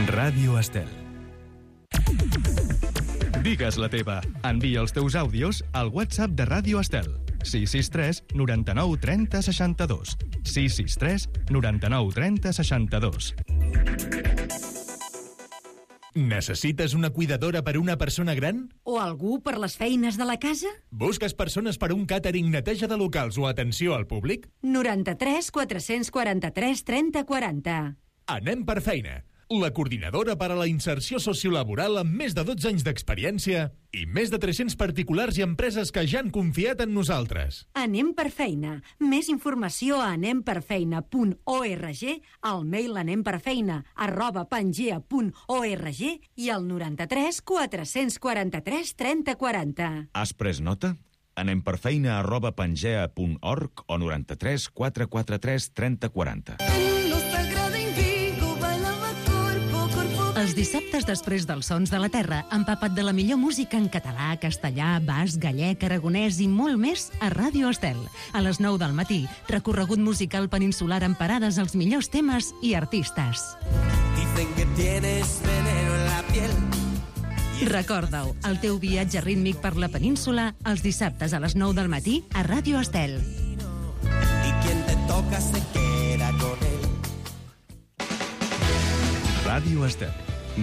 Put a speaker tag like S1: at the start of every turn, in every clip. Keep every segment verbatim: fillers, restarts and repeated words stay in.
S1: Ràdio Estel. Digues la teva. Envia els teus àudios al WhatsApp de Ràdio Estel. sis sis tres noranta-nou trenta seixanta-dos. sis sis tres noranta-nou trenta seixanta-dos.
S2: Necessites una cuidadora per una persona gran?
S3: O algú per les feines de la casa?
S2: Busques persones per un càtering, neteja de locals o atenció al públic?
S3: noranta-tres quatre-cents quaranta-tres trenta quaranta.
S2: Anem per feina. La coordinadora per a la inserció sociolaboral amb més de dotze anys d'experiència i més de tres-cents particulars i empreses que ja han confiat en nosaltres.
S3: Anem per feina. Més informació a anem per feina punt org, al mail anemperfeina arroba pangea punt org i al noranta-tres quatre-cents quaranta-tres trenta quaranta.
S4: Has pres nota? Anem per feina arroba pangea punt org o noranta-tres quatre quaranta-tres trenta quaranta.
S5: Els dissabtes després dels Sons de la Terra, empapa't de la millor música en català, castellà, basc, gallec, aragonès i molt més a Ràdio Estel. A les nou del matí, recorregut musical peninsular amb parades als millors temes i artistes. Recorda-ho, el teu viatge rítmic per la península, els dissabtes a les nou del matí a Ràdio Estel.
S1: Ràdio Estel.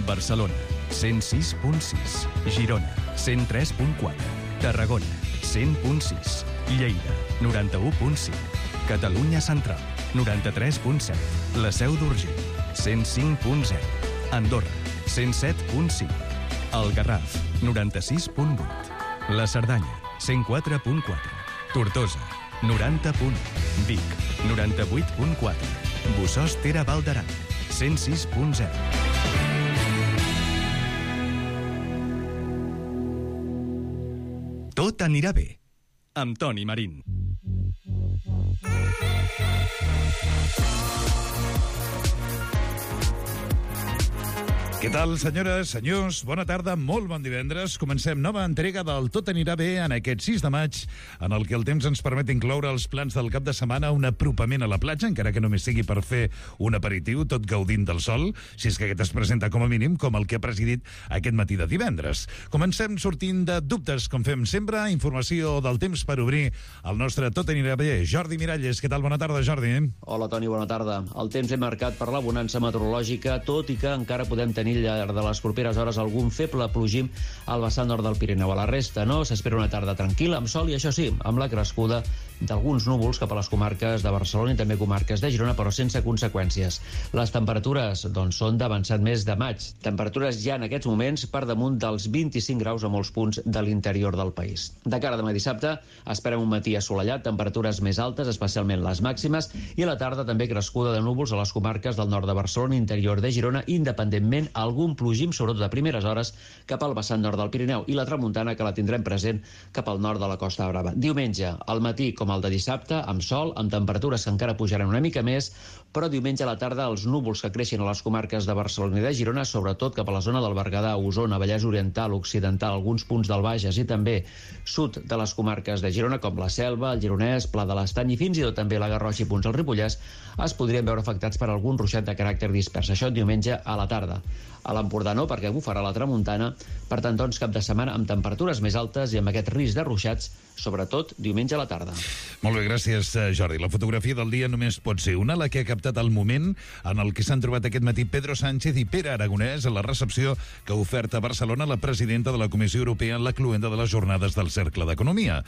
S1: Barcelona, cent sis punt sis. Girona, cent tres punt quatre. Tarragona, cent punt sis. Lleida, noranta-u punt cinc. Catalunya Central, noranta-tres punt set. La Seu d'Urgell, cent cinc punt zero. Andorra, cent set punt cinc. El Garraf, noranta-sis punt vuit. La Cerdanya, cent quatre punt quatre. Tortosa, noranta punt u. Vic, noranta-vuit punt quatre. Bossòst Tere Val d'Aran, cent sis punt zero. Tot anirà bé, amb Toni Marín.
S6: Què tal, senyores, senyors? Bona tarda, molt bon divendres. Comencem nova entrega del Tot anirà bé en aquest sis de maig, en el que el temps ens permet incloure els plans del cap de setmana, un apropament a la platja, encara que només sigui per fer un aperitiu, tot gaudint del sol, si és que aquest es presenta com a mínim com el que ha presidit aquest matí de divendres. Comencem sortint de dubtes, com fem sempre, informació del temps per obrir el nostre Tot anirà bé. Jordi Miralles, què tal? Bona tarda, Jordi.
S7: Hola, Toni, bona tarda. El temps és marcat per la bonança meteorològica, tot i que encara podem tenir al llarg de les properes hores algun feble plogim al vessant nord del Pirineu. A la resta, no? S'espera una tarda tranquil·la, amb sol i, això sí, amb la crescuda d'alguns núvols cap a les comarques de Barcelona i també comarques de Girona, però sense conseqüències. Les temperatures, doncs, són d'avançat mes de maig. Temperatures ja en aquests moments per damunt dels vint-i-cinc graus a molts punts de l'interior del país. De cara a demà dissabte, esperem un matí assolellat, temperatures més altes, especialment les màximes, i a la tarda també crescuda de núvols a les comarques del nord de Barcelona i interior de Girona, independentment algun plogim, sobretot a primeres hores, cap al vessant nord del Pirineu, i la tramuntana, que la tindrem present cap al nord de la Costa Brava. Diumenge, al matí com el de dissabte, amb sol, amb temperatures que encara pujaran una mica més, però diumenge a la tarda els núvols que creixen a les comarques de Barcelona i de Girona, sobretot cap a la zona del Berguedà, Osona, Vallès Oriental, Occidental, alguns punts del Bages i també sud de les comarques de Girona, com la Selva, el Gironès, Pla de l'Estany i fins i tot també la Garrotxa i punts del Ripollès, es podrien veure afectats per algun ruixat de caràcter dispers. Això diumenge a la tarda. A l'Empordà no, perquè bufarà la tramuntana. Per tant, doncs, cap de setmana amb temperatures més altes i amb aquest risc de ruixats, sobretot diumenge a la tarda.
S6: Molt bé, gràcies, Jordi. La fotografia del dia només pot ser una, la que ha captat el moment en el que s'han trobat aquest matí Pedro Sánchez i Pere Aragonès a la recepció que ha ofert a Barcelona la presidenta de la Comissió Europea en la cluenda de les jornades del Cercle d'Economia.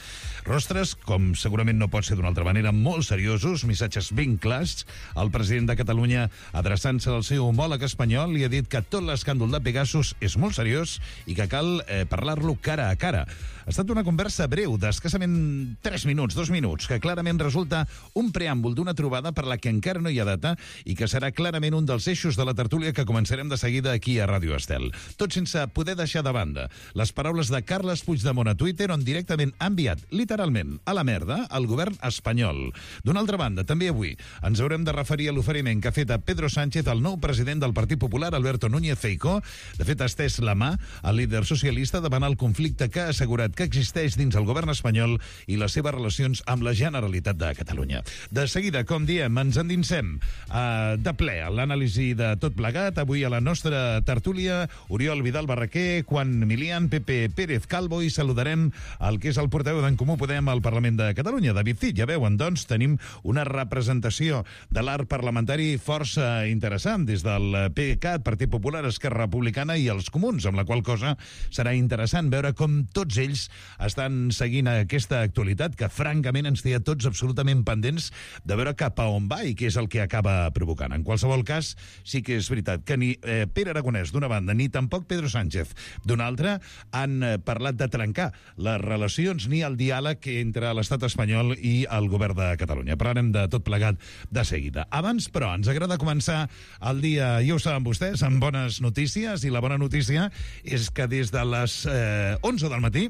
S6: Rostres, com segurament no pot ser d'una altra manera, molt seriosos, missatges ben clars. El president de Catalunya, adreçant-se al seu homòleg espanyol, li ha dit que tot l'escàndol de Pegasus és molt seriós i que cal eh, parlar-lo cara a cara. Ha estat una conversa breu, d'escassament tres minuts, dos minuts, que clarament resulta un preàmbul d'una trobada per la que encara no hi ha data i que serà clarament un dels eixos de la tertúlia que començarem de seguida aquí a Ràdio Estel. Tot sense poder deixar de banda les paraules de Carles Puigdemont a Twitter, on directament ha enviat, literalment, a la merda al govern espanyol. D'una altra banda, també avui ens haurem de referir a l'oferiment que ha fet a Pedro Sánchez, el nou president del Partit Popular, Alberto Núñez Feijóo. De fet, ha estès la mà al líder socialista davant el conflicte que ha assegurat que existeix dins el govern espanyol espanyol i les seves relacions amb la Generalitat de Catalunya. De seguida, com diem, ens endinsem uh, de ple a l'anàlisi de tot plegat. Avui a la nostra tertúlia, Oriol Vidal Barraquer, Juan Milián, Pepe Pérez Calvo, i saludarem el que és el portaveu d'en Comú Podem al Parlament de Catalunya, David Cid. Ja veuen, doncs, tenim una representació de l'arc parlamentari força interessant, des del PDeCAT, Partit Popular, Esquerra Republicana i els Comuns, amb la qual cosa serà interessant veure com tots ells estan seguint aquesta actualitat que, francament, ens té a tots absolutament pendents de veure cap a on va i què és el que acaba provocant. En qualsevol cas, sí que és veritat que ni eh, Pere Aragonès, d'una banda, ni tampoc Pedro Sánchez, d'una altra, han eh, parlat de trencar les relacions ni el diàleg entre l'estat espanyol i el govern de Catalunya. Parlarem de tot plegat de seguida. Abans, però, ens agrada començar el dia, ja ho saben vostès, amb bones notícies, i la bona notícia és que des de les eh, onze del matí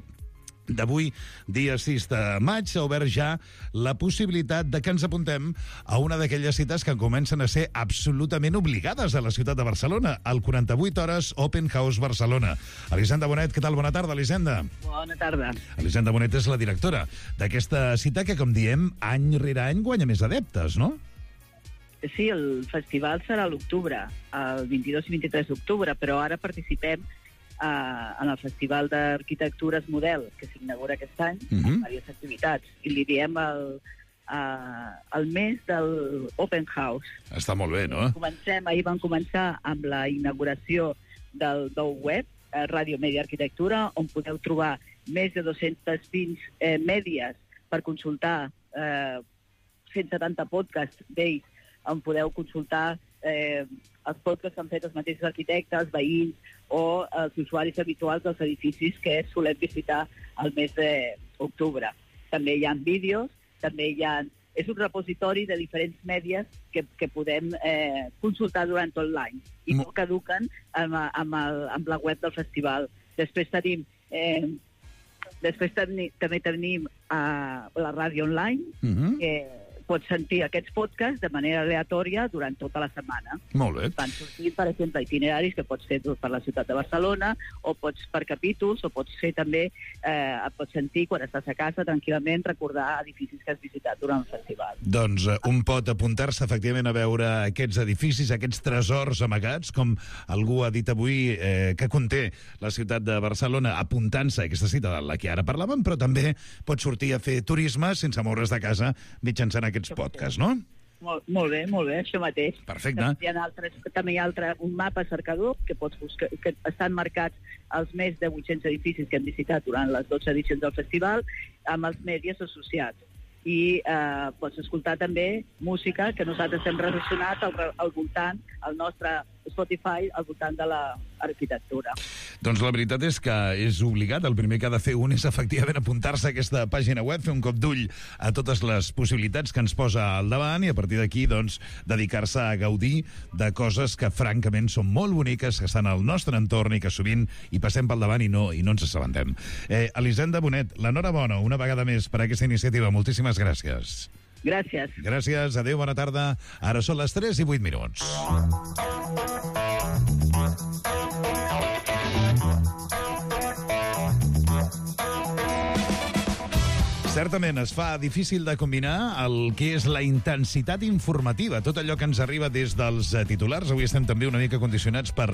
S6: d'avui, dia sis de maig, s'ha obert ja la possibilitat de que ens apuntem a una d'aquelles cites que comencen a ser absolutament obligades a la ciutat de Barcelona, el quaranta-vuit hores Open House Barcelona. Elisenda Bonet, què tal? Bona tarda, Elisenda.
S8: Bona tarda.
S6: Elisenda Bonet és la directora d'aquesta cita que, com diem, any rere any guanya més adeptes, no?
S8: Sí, el festival serà a l'octubre, el vint-i-dos i vint-i-tres d'octubre, però ara participem Uh, en el Festival d'Arquitectures Model, que s'inaugura aquest any, uh-huh. amb diverses activitats, i li diem el, uh, el mes del Open House.
S6: Està molt bé, no?
S8: Comencem, ahir vam començar amb la inauguració del nou web, uh, Radio Media Arquitectura, on podeu trobar més de dos-centes vint eh, mèdies per consultar eh, cent setanta podcasts d'ells, on podeu consultar eh, els podcasts que han fet els mateixos arquitectes, veïns, o els usuaris habituals dels edificis que solem visitar al mes d'octubre. També hi ha vídeos, també hi ha... És un repositori de diferents mèdies que, que podem eh, consultar durant tot l'any i no caduquen amb, amb, el, amb la web del festival. Després tenim... Eh, després teni, també tenim uh, la ràdio online, uh-huh. que pots sentir aquests podcasts de manera aleatòria durant tota la setmana.
S6: Molt bé.
S8: Van sortir, per exemple, itineraris que pots fer per la ciutat de Barcelona, o pots per capítols, o pots fer també, eh, et pots sentir quan estàs a casa tranquil·lament recordar edificis que has visitat durant el festival.
S6: Doncs eh, un pot apuntar-se efectivament a veure aquests edificis, aquests tresors amagats, com algú ha dit avui eh, que conté la ciutat de Barcelona, apuntant-se a aquesta cita de la que ara parlàvem, però també pots sortir a fer turisme sense moure's de casa mitjançant aquests podcast, no?
S8: Molt, molt bé, molt bé, això mateix.
S6: Perfecte.
S8: També hi ha, altres, també hi ha altre, un mapa cercador que pots buscar, que estan marcats els més de vuit-cents edificis que hem visitat durant les dotze edicions del festival, amb els mèdies associats. I eh, pots escoltar també música que nosaltres hem relacionat al, al voltant, al nostre Spotify, al voltant de l'arquitectura.
S6: Doncs la veritat és que és obligat. El primer que ha de fer un és efectivament apuntar-se a aquesta pàgina web, fer un cop d'ull a totes les possibilitats que ens posa al davant i a partir d'aquí, doncs, dedicar-se a gaudir de coses que francament són molt boniques, que estan al nostre entorn i que sovint hi passem pel davant i no, i no ens assabentem. Eh, Elisenda Bonet, l'enhorabona una vegada més per aquesta iniciativa. Moltíssimes gràcies.
S8: Gràcies.
S6: Gràcies, adéu, bona tarda. Ara són les tres i vuit minuts. Certament es fa difícil de combinar el que és la intensitat informativa, tot allò que ens arriba des dels titulars. Avui estem també una mica condicionats per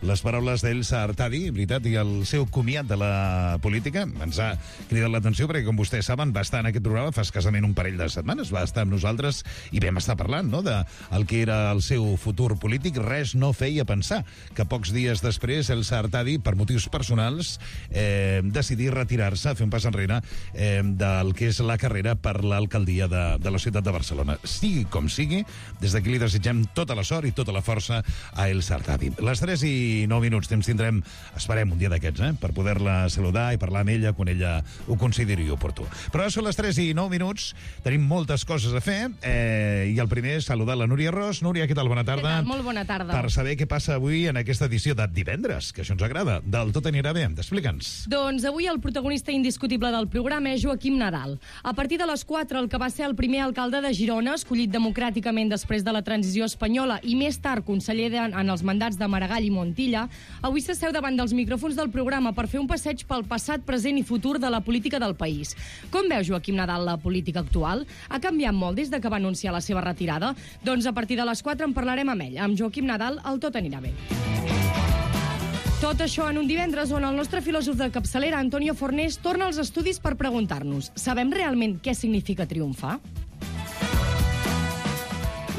S6: les paraules d'Elsa Artadi, veritat, i el seu comiat de la política. Ens ha cridat l'atenció perquè, com vostès saben, va estar en aquest programa fa escassament un parell de setmanes, va estar amb nosaltres i vam estar parlant, no?, de el que era el seu futur polític. Res no feia pensar que pocs dies després Elsa Artadi, per motius personals, eh, decidí retirar-se, fer un pas enrere eh, del que és la carrera per l'alcaldia de, de la ciutat de Barcelona. Sigui com sigui, des d'aquí li desitgem tota la sort i tota la força a Elsa Artadi. Les tres i nou minuts, temps tindrem, esperem un dia d'aquests, eh, per poder-la saludar i parlar amb ella quan ella ho consideri oportú. Però ara són les tres i nou minuts, tenim moltes coses a fer, eh, i el primer és saludar la Núria Ros. Núria, què tal? Bona tarda.
S9: Què tal? Molt bona tarda.
S6: Per saber què passa avui en aquesta edició de divendres, que això ens agrada. Del Tot anirà bé, explica'ns.
S9: Doncs avui el protagonista indiscutible del programa és Joaquim Nadal. Nadal. A partir de les quatre, el que va ser el primer alcalde de Girona, escollit democràticament després de la transició espanyola i més tard conseller de, en els mandats de Maragall i Montilla, avui s'asseu davant dels micròfons del programa per fer un passeig pel passat, present i futur de la política del país. Com veu Joaquim Nadal la política actual? Ha canviat molt des de que va anunciar la seva retirada? Doncs a partir de les quatre en parlarem amb ell. Amb Joaquim Nadal, el tot anirà bé. Tot això en un divendres on el nostre filòsof de capçalera, Antonio Fornés, torna als estudis per preguntar-nos: sabem realment què significa triomfar?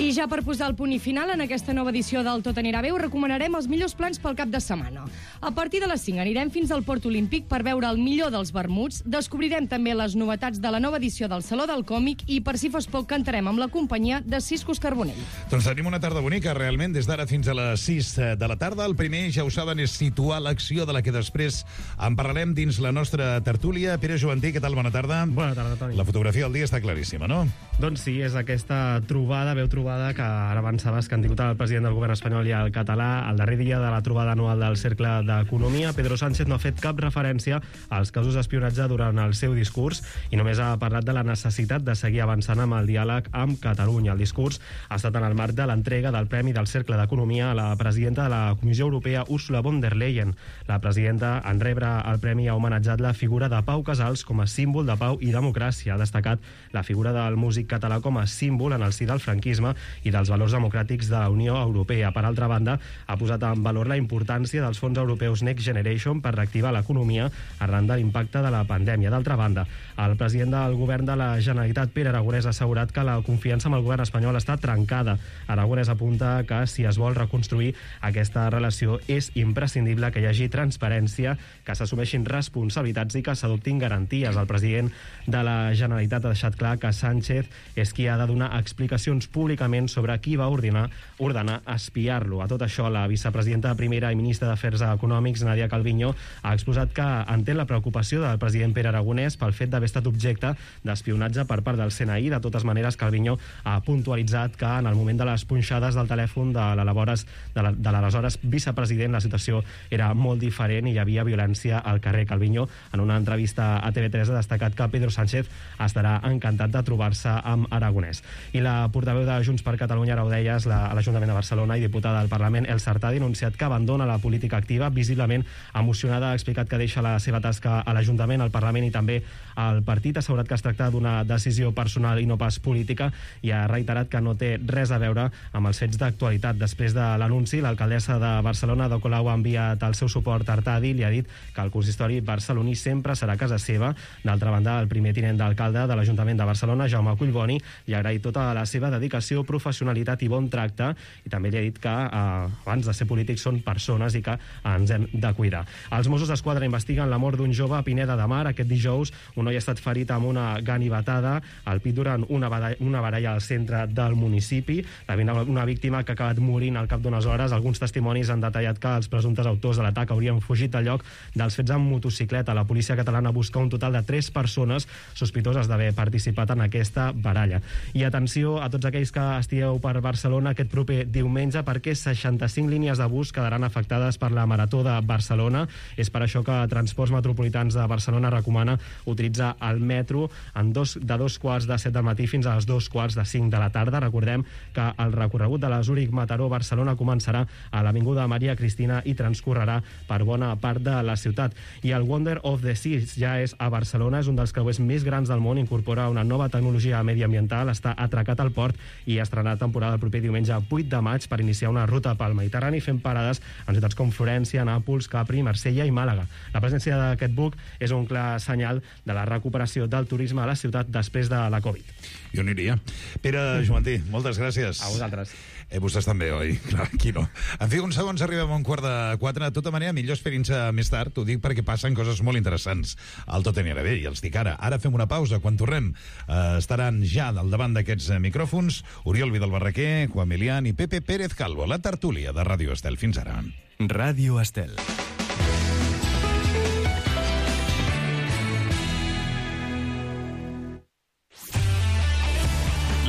S9: I ja per posar el punt i final en aquesta nova edició del Tot anirà bé, us recomanarem els millors plans pel cap de setmana. A partir de les cinc anirem fins al Port Olímpic per veure el millor dels vermuts, descobrirem també les novetats de la nova edició del Saló del Còmic i, per si fos poc, cantarem amb la companyia de Ciscos Carbonell.
S6: Doncs tenim una tarda bonica, realment, des d'ara fins a les sis de la tarda. El primer, ja ho saben, és situar l'acció de la que després en parlarem dins la nostra tertúlia. Pere Joventí, què tal? Bona tarda.
S10: Bona tarda, Toni.
S6: La fotografia del dia està claríssima, no?
S10: Doncs sí, és aquesta trobada, veu trobada, que ara avançaves que han tingut el president del govern espanyol i el català el darrer dia de la trobada anual del Cercle d'Economia. Pedro Sánchez no ha fet cap referència als casos d'espionatge durant el seu discurs i només ha parlat de la necessitat de seguir avançant amb el diàleg amb Catalunya. El discurs ha estat en el marc de l'entrega del Premi del Cercle d'Economia a la presidenta de la Comissió Europea, Ursula von der Leyen. La presidenta, en rebre el premi, ha homenatjat la figura de Pau Casals com a símbol de pau i democràcia. Ha destacat la figura del músic català com a símbol en el si del franquisme i dels valors democràtics de la Unió Europea. Per altra banda, ha posat en valor la importància dels fons europeus Next Generation per reactivar l'economia arran de l'impacte de la pandèmia. D'altra banda, el president del govern de la Generalitat, Pere Aragonès, ha assegurat que la confiança amb el govern espanyol està trencada. Aragonès apunta que si es vol reconstruir aquesta relació és imprescindible que hi hagi transparència, que s'assumeixin responsabilitats i que s'adoptin garanties. El president de la Generalitat ha deixat clar que Sánchez és qui ha de donar explicacions públicament sobre qui va ordenar, ordenar espiar-lo. A tot això, la vicepresidenta primera i ministra d'Afers Econòmics, Nadia Calviño, ha exposat que entén la preocupació del president Pere Aragonès pel fet d'haver estat objecte d'espionatge per part del C N I. De totes maneres, Calviño ha puntualitzat que en el moment de les punxades del telèfon de l'aleshores vicepresident la situació era molt diferent i hi havia violència al carrer. Calviño, en una entrevista a T V tres, ha destacat que Pedro Sánchez estarà encantat de trobar-se amb Aragonès. I la portaveu de Junts per Catalunya, ara ho deies, la, a l'Ajuntament de Barcelona i diputada del Parlament, Elsa Artadi, ha denunciat que abandona la política activa. Visiblement emocionada, ha explicat que deixa la seva tasca a l'Ajuntament, al Parlament i també al partit. Ha assegurat que es tracta d'una decisió personal i no pas política i ha reiterat que no té res a veure amb els fets d'actualitat. Després de l'anunci, l'alcaldessa de Barcelona, Ada Colau, ha enviat el seu suport a Artadi i li ha dit que el consistori barceloní sempre serà casa seva. D'altra banda, el primer tinent d'alcalde de l'Ajuntament de Barcelona, Jaume Collboni, li ha agraït tota la seva dedicació, professionalitat i bon tracte, i també li ha dit que eh, abans de ser polítics són persones i que ens hem de cuidar. Els Mossos d'Esquadra investiguen la mort d'un jove a Pineda de Mar. Aquest dijous un noi ha estat ferit amb una ganivetada al pit durant una baralla, una baralla al centre del municipi. Una víctima que ha acabat morint al cap d'unes hores. Alguns testimonis han detallat que els presumptes autors de l'atac haurien fugit del lloc dels fets amb motocicleta. La policia catalana busca un total de tres persones sospitoses d'haver participat en aquesta baralla. I atenció a tots aquells que estigueu per Barcelona aquest proper diumenge, perquè seixanta-cinc línies de bus quedaran afectades per la Marató de Barcelona. És per això que Transports Metropolitans de Barcelona recomana utilitzar el metro en dos, de dos quarts de set del matí fins a les dos quarts de cinc de la tarda. Recordem que el recorregut de la Zúrich-Mataró-Barcelona començarà a l'Avinguda Maria Cristina i transcorrerà per bona part de la ciutat. I el Wonder of the Seas ja és a Barcelona, és un dels creuers més grans del món, incorpora una nova tecnologia mediambiental, està atracat al port i estrenarà temporada el proper diumenge vuit de maig per iniciar una ruta pel Mediterrani fent parades en ciutats com Florència, Nàpols, Capri, Marsella i Màlaga. La presència d'aquest buc és un clar senyal de la recuperació del turisme a la ciutat després de la Covid.
S6: Jo aniria. Pere Joventí, moltes gràcies.
S10: A vosaltres.
S6: Eh, vostès també, oi? Clar, aquí no. En fi, uns segons arribem a un quart de quatre. De tota manera, millor esperin-se més tard. T'ho dic perquè passen coses molt interessants al Tot anirà bé, i els dic ara. Ara fem una pausa. Quan tornem eh, estaran ja al davant d'aquests micròfons Oriol Vidal-Barraquer, Juan Milián i Pepe Pérez Calvo. La tertúlia de Ràdio Estel. Fins ara.
S1: Ràdio Estel.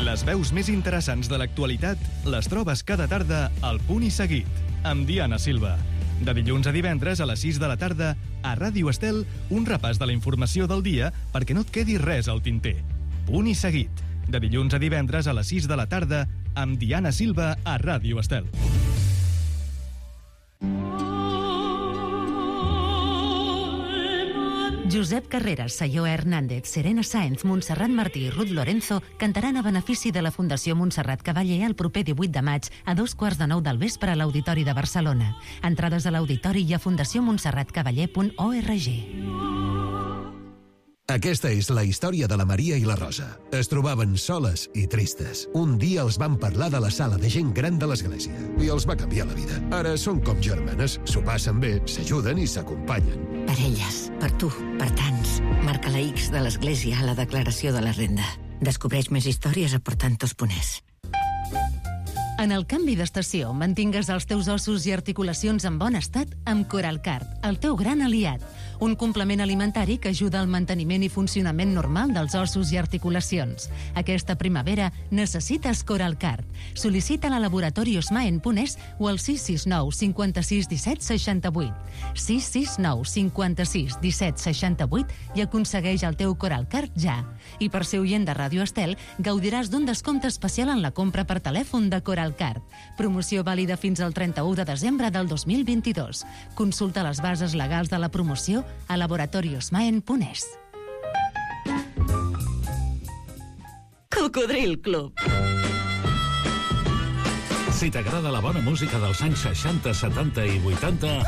S1: Les veus més interessants de l'actualitat les trobes cada tarda al Punt i Seguit, amb Diana Silva. De dilluns a divendres a les sis de la tarda A Ràdio Estel, un repàs de la informació del dia perquè no et quedi res al tinter. Punt i seguit. De dilluns a divendres a les sis de la tarda amb Diana Silva a Ràdio Estel.
S5: Josep Carreras, Sayó Hernández, Serena Sáenz, Montserrat Martí i Ruth Lorenzo cantaran a benefici de la Fundació Montserrat Cavaller el proper divuit de maig a dos quarts de nou del vespre a l'Auditori de Barcelona. Entrades a l'Auditori i a fundació montserrat cavaller punt org.
S11: Aquesta és la història de la Maria i la Rosa. Es trobaven soles i tristes. Un dia els van parlar de la sala de gent gran de l'església i els va canviar la vida. Ara són com germanes, s'ho passen bé, s'ajuden i s'acompanyen.
S12: Per elles, per tu, per tants. Marca la X de l'església a la declaració de la renda. Descobreix més històries a portantos punt es.
S5: En el canvi d'estació, mantingues els teus ossos i articulacions en bon estat amb Coralcard, el teu gran aliat. Un complement alimentari que ajuda al manteniment i funcionament normal dels ossos i articulacions. Aquesta primavera necessites Coralcard. Sol·licita-la a laboratori osmaen punt es o al sis sis nou cinquanta-sis disset seixanta-vuit. sis sis nou cinquanta-sis disset seixanta-vuit i aconsegueix el teu Coralcard ja. I per ser oient de Ràdio Estel, gaudiràs d'un descompte especial en la compra per telèfon de Coralcard. Promoció vàlida fins al trenta-u de desembre del dos mil vint-i-dos. Consulta les bases legals de la promoció a laboratori osmaen punt es.
S12: Cocodril Club.
S13: Si t'agrada la bona música dels anys seixanta, setanta i vuitanta,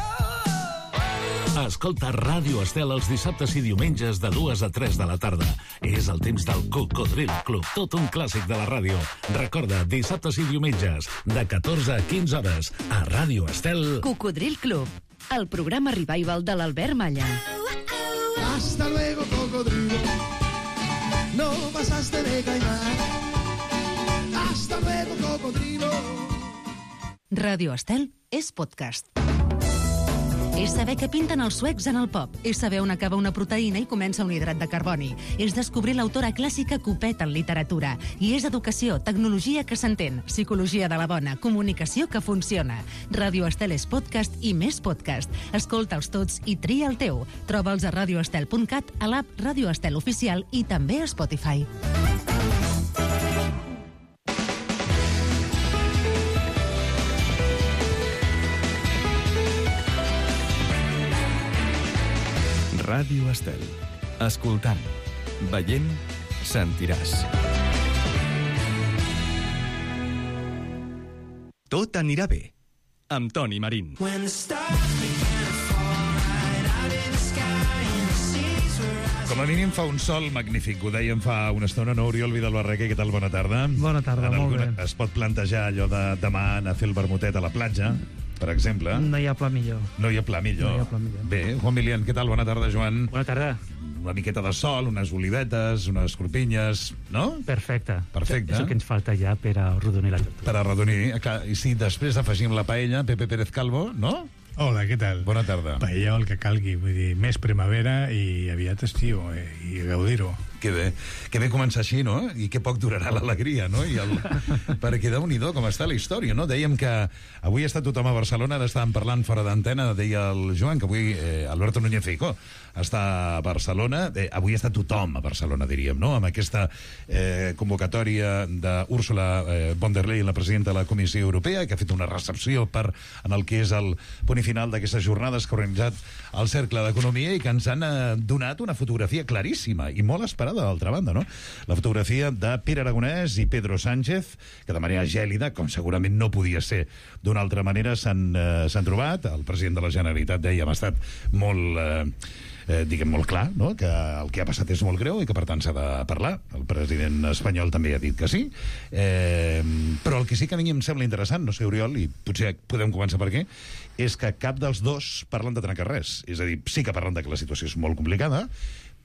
S13: escolta Ràdio Estel els dissabtes i diumenges de dues a tres de la tarda. És el temps del Cocodril Club, tot un clàssic de la ràdio. Recorda, dissabtes i diumenges, de catorze a quinze hores, a Ràdio Estel.
S5: Cocodril Club, el programa revival de l'Albert Malla.
S14: Hasta luego, cocodrilo. No pasaste de caimán. Hasta luego, cocodrilo.
S5: Ràdio Estel és podcast. És saber què pinten els suecs en el pop. És saber on acaba una proteïna i comença un hidrat de carboni. És descobrir l'autora clàssica Copet en literatura. I és educació, tecnologia que s'entén, psicologia de la bona, comunicació que funciona. Ràdio Estel és podcast i més podcast. Escolta'ls tots i tria el teu. Troba'ls a radioestel punt cat, a l'app Ràdio Estel Oficial i també a Spotify.
S1: Ràdio Estel. Escoltant, veient, sentiràs. Tot anirà bé. Amb Toni Marín.
S6: Com a mínim fa un sol magnífic, ho dèiem fa una estona, no? Oriol Vidal Barraquer, què tal? Bona tarda.
S10: Bona tarda,
S6: en
S10: molt
S6: alguna...
S10: bé.
S6: Es pot plantejar allò de demà anar a fer el vermutet a la platja, per exemple.
S10: No hi ha pla millor.
S6: No hi ha pla millor.
S10: No hi ha pla millor.
S6: Bé, Juan Milian, què tal? Bona tarda, Joan.
S10: Bona tarda.
S6: Una miqueta de sol, unes olivetes, unes corpinyes, no?
S10: Perfecte.
S6: Perfecte.
S10: És el que ens falta ja per a arrodonir la lectura.
S6: Per arrodonir. I si després afegim la paella, Pepe Pérez Calvo, no?
S15: Hola, què tal?
S6: Bona tarda.
S15: Paella o el que calgui, vull dir, més primavera i aviat estiu, eh, i gaudir-ho.
S6: Que bé, que bé començar així, no? I que poc durarà l'alegria, no? I el... Perquè déu-n'hi-do com està la història, no? Dèiem que avui està tothom a Barcelona, ara estàvem parlant fora d'antena, deia el Joan, que avui eh, Alberto Núñez Feijóo està a Barcelona, eh, avui està tothom a Barcelona, diríem, no? Amb aquesta eh, convocatòria d'Úrsula eh, von der Leyen, la presidenta de la Comissió Europea, que ha fet una recepció per, en el que és el punt final d'aquestes jornades que ha organitzat el Cercle d'Economia i que ens han eh, donat una fotografia claríssima i molt esperada d'altra banda, no? La fotografia de Pere Aragonès i Pedro Sánchez, que de manera gèlida, com segurament no podia ser d'una altra manera, s'han eh, s'han trobat. El president de la Generalitat, dèiem, ha estat molt... Eh, Eh, diguem molt clar, no? Que el que ha passat és molt greu i que per tant s'ha de parlar. El president espanyol també ha dit que sí, eh, però el que sí que a mi em sembla interessant, no sé, Oriol, i potser podem començar per què, és que cap dels dos parlen de trencar res. És a dir, sí que parlen de que la situació és molt complicada,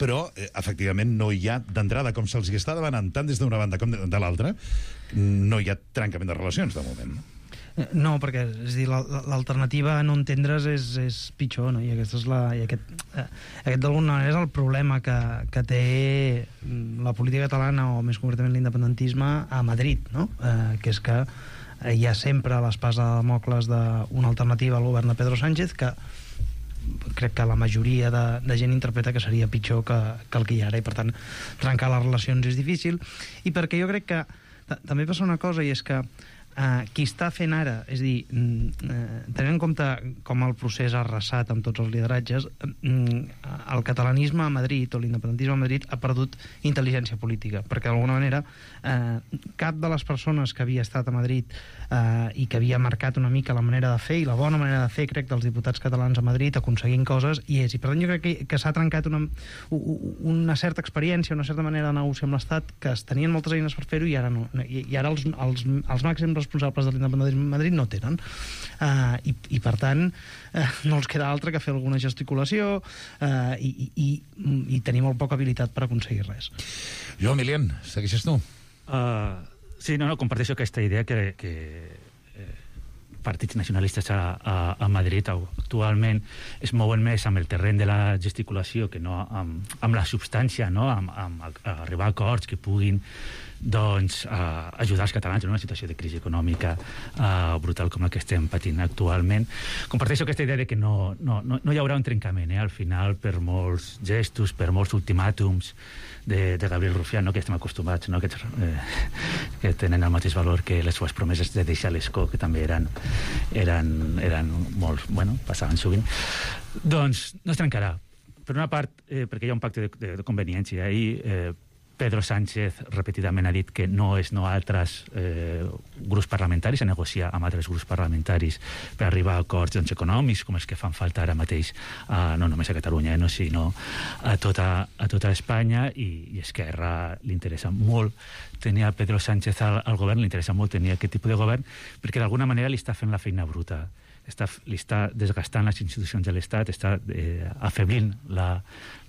S6: però eh, efectivament no hi ha, d'entrada, com se'ls està demanant tant des d'una banda com de l'altra, no hi ha trencament de relacions de moment.
S16: No, perquè és dir, l'alternativa a no entendre's és, és pitjor, no? I aquesta és la, i aquest, eh, aquest d'alguna manera és el problema que, que té la política catalana, o més concretament l'independentisme, a Madrid, no? Eh, que és que hi ha sempre l'espasa de Damocles d'una alternativa al govern de Pedro Sánchez que crec que la majoria de, de gent interpreta que seria pitjor que, que el que hi ha ara, i per tant trencar les relacions és difícil, i perquè jo crec que també passa una cosa, i és que Uh, qui està fent ara, és a dir, uh, tenint en compte com el procés ha arrasat amb tots els lideratges, uh, el catalanisme a Madrid o l'independentisme a Madrid ha perdut intel·ligència política, perquè d'alguna manera uh, cap de les persones que havia estat a Madrid uh, i que havia marcat una mica la manera de fer i la bona manera de fer, crec, dels diputats catalans a Madrid aconseguint coses, i és, i per tant jo crec que, que s'ha trencat una, una certa experiència, una certa manera de negociar amb l'Estat, que es tenien moltes eines per fer-ho i ara no, i, i ara els, els, els màxims responsables de l'independentisme a Madrid no tenen, uh, i, i per tant uh, no els queda altre que fer alguna gesticulació uh, i, i, i tenir molt poca habilitat per aconseguir res.
S6: Jo, Emilian, segueixes tu?
S17: Uh, sí, no, no, comparteixo aquesta idea que, que eh, partits nacionalistes a, a, a Madrid actualment es mouen més amb el terreny de la gesticulació que no amb, amb la substància, no? amb, amb a arribar a acords que puguin doncs, uh, ajudar els catalans en una situació de crisi econòmica uh, brutal com la que estem patint actualment. Comparteixo aquesta idea de que no, no, no, no hi haurà un trencament, eh? Al final, per molts gestos, per molts ultimàtums de, de Gabriel Rufián, no? Que estem acostumats, no? que, eh, que tenen el mateix valor que les seves promeses de deixar l'escó, que també eren, eren, eren molt, bueno, passaven sovint. Doncs no es trencarà. Per una part, eh, perquè hi ha un pacte de, de, de conveniència, i eh, Pedro Sánchez repetidament ha dit que no és no altres eh, grups parlamentaris a negociar amb altres grups parlamentaris per arribar a acords doncs, econòmics com els que fan falta ara mateix, eh, no només a Catalunya, eh, no, sinó a tota, a tota Espanya, i, i Esquerra li interessa molt tenir a Pedro Sánchez al, al govern, li interessa molt tenir aquest tipus de govern, perquè d'alguna manera li està fent la feina bruta. Està, li està desgastant les institucions de l'Estat, està eh, afeblint la,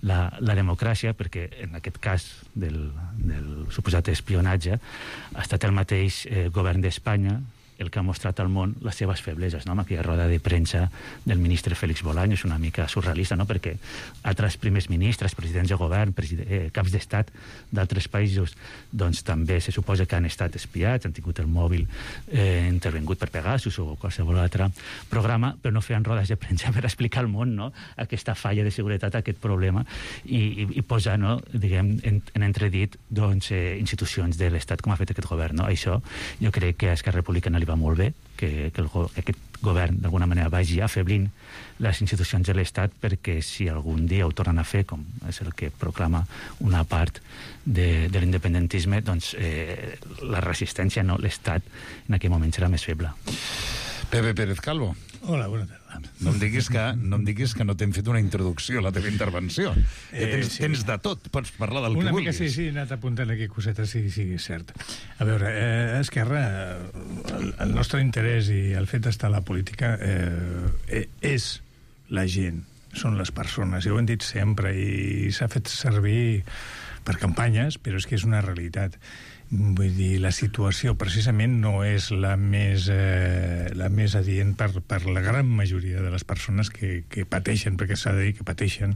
S17: la, la democràcia, perquè en aquest cas del, del suposat espionatge ha estat el mateix eh, govern d'Espanya el que ha mostrat al món les seves febleses, no? Amb aquella roda de premsa del ministre Félix Bolaños, una mica surrealista, no? Perquè altres primers ministres, presidents de govern, president, eh, caps d'estat d'altres països, doncs també se suposa que han estat espiats, han tingut el mòbil eh, intervengut per Pegasus o qualsevol altre programa, però no feien rodes de premsa per explicar al món, no? Aquesta falla de seguretat, aquest problema, i, i, i posar, no? Diguem, en, en entredit doncs, eh, institucions de l'Estat com ha fet aquest govern, no? Això jo crec que a Esquerra Republicana li va molt bé, que, que, el, que aquest govern d'alguna manera vagi afeblint les institucions de l'Estat, perquè si algun dia ho tornen a fer, com és el que proclama una part de, de l'independentisme, doncs eh, la resistència, no, l'Estat en aquell moment serà més feble.
S6: Pepe Pérez Calvo.
S15: Hola, bona tarda.
S6: No em diguis que no, em diguis que no t'hem fet una introducció a la teva intervenció. Eh, tens, sí. tens de tot, pots parlar del
S15: una
S6: que
S15: mica,
S6: vulguis.
S15: Sí, sí, he anat apuntant aquí cosetes, sí, sí, és cert. A veure, eh, Esquerra, el, el nostre interès i el fet d'estar a la política eh, és la gent, són les persones, i ho hem dit sempre, i s'ha fet servir per campanyes, però és que és una realitat. Vull dir, la situació precisament no és la més, eh, la més adient per, per la gran majoria de les persones que, que pateixen, perquè s'ha de dir que pateixen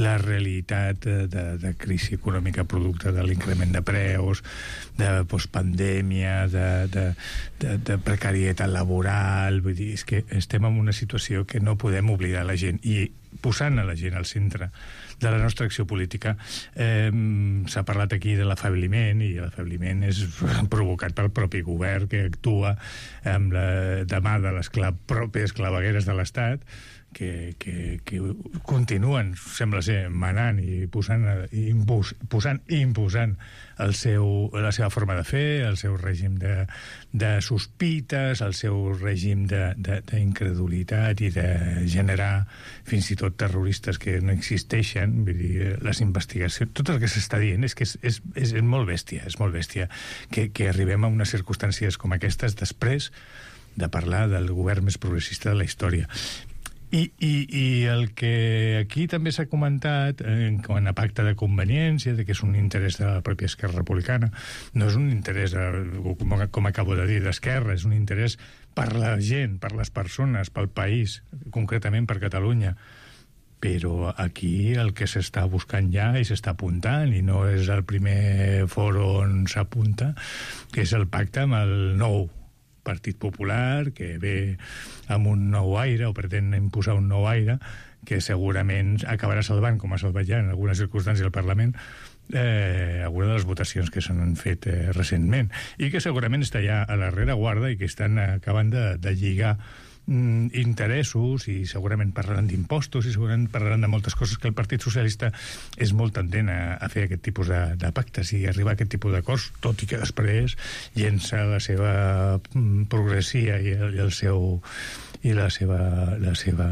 S15: la realitat de, de, de crisi econòmica producte de l'increment de preus, de postpandèmia, de, de, de, de precarietat laboral. Vull dir, és que estem en una situació que no podem oblidar la gent, i posant a la gent al centre de la nostra acció política. Eh, s'ha parlat aquí de l'afebliment, i l'afebliment és provocat pel propi govern, que actua amb la, de mà de les cla pròpies clavegueres de l'Estat, que, que, que continuen, sembla ser, manant i posant i impus, posant i imposant el seu, la seva forma de fer, el seu règim de, de sospites, el seu règim d'incredulitat i de generar fins i tot terroristes que no existeixen. Vull dir, les investigacions, tot el que s'està dient és que és, és, és molt bèstia, és molt bèstia que, que arribem a unes circumstàncies com aquestes després de parlar del govern més progressista de la història. I, i, i el que aquí també s'ha comentat en quant a pacte de conveniència, de que és un interès de la pròpia Esquerra Republicana, no és un interès, com, com acabo de dir, d'Esquerra, és un interès per la gent, per les persones, pel país, concretament per Catalunya. Però aquí el que s'està buscant ja i s'està apuntant, i no és el primer fòrum on s'apunta, que és el pacte amb el nou Partit Popular, que ve amb un nou aire, o pretén imposar un nou aire, que segurament acabarà salvant, com ha salvat ja en algunes circumstàncies el Parlament, eh, algunes de les votacions que s'han fet eh, recentment, i que segurament està ja a la rereguarda i que estan acabant de, de lligar mm, interessos, i segurament parlaran d'impostos i segurament parlaran de moltes coses, que el Partit Socialista és molt tendent a, a fer aquest tipus de, de pactes i arribar a aquest tipus d'acords, tot i que després llença la seva mm, progressia i el, i el seu i la seva, la seva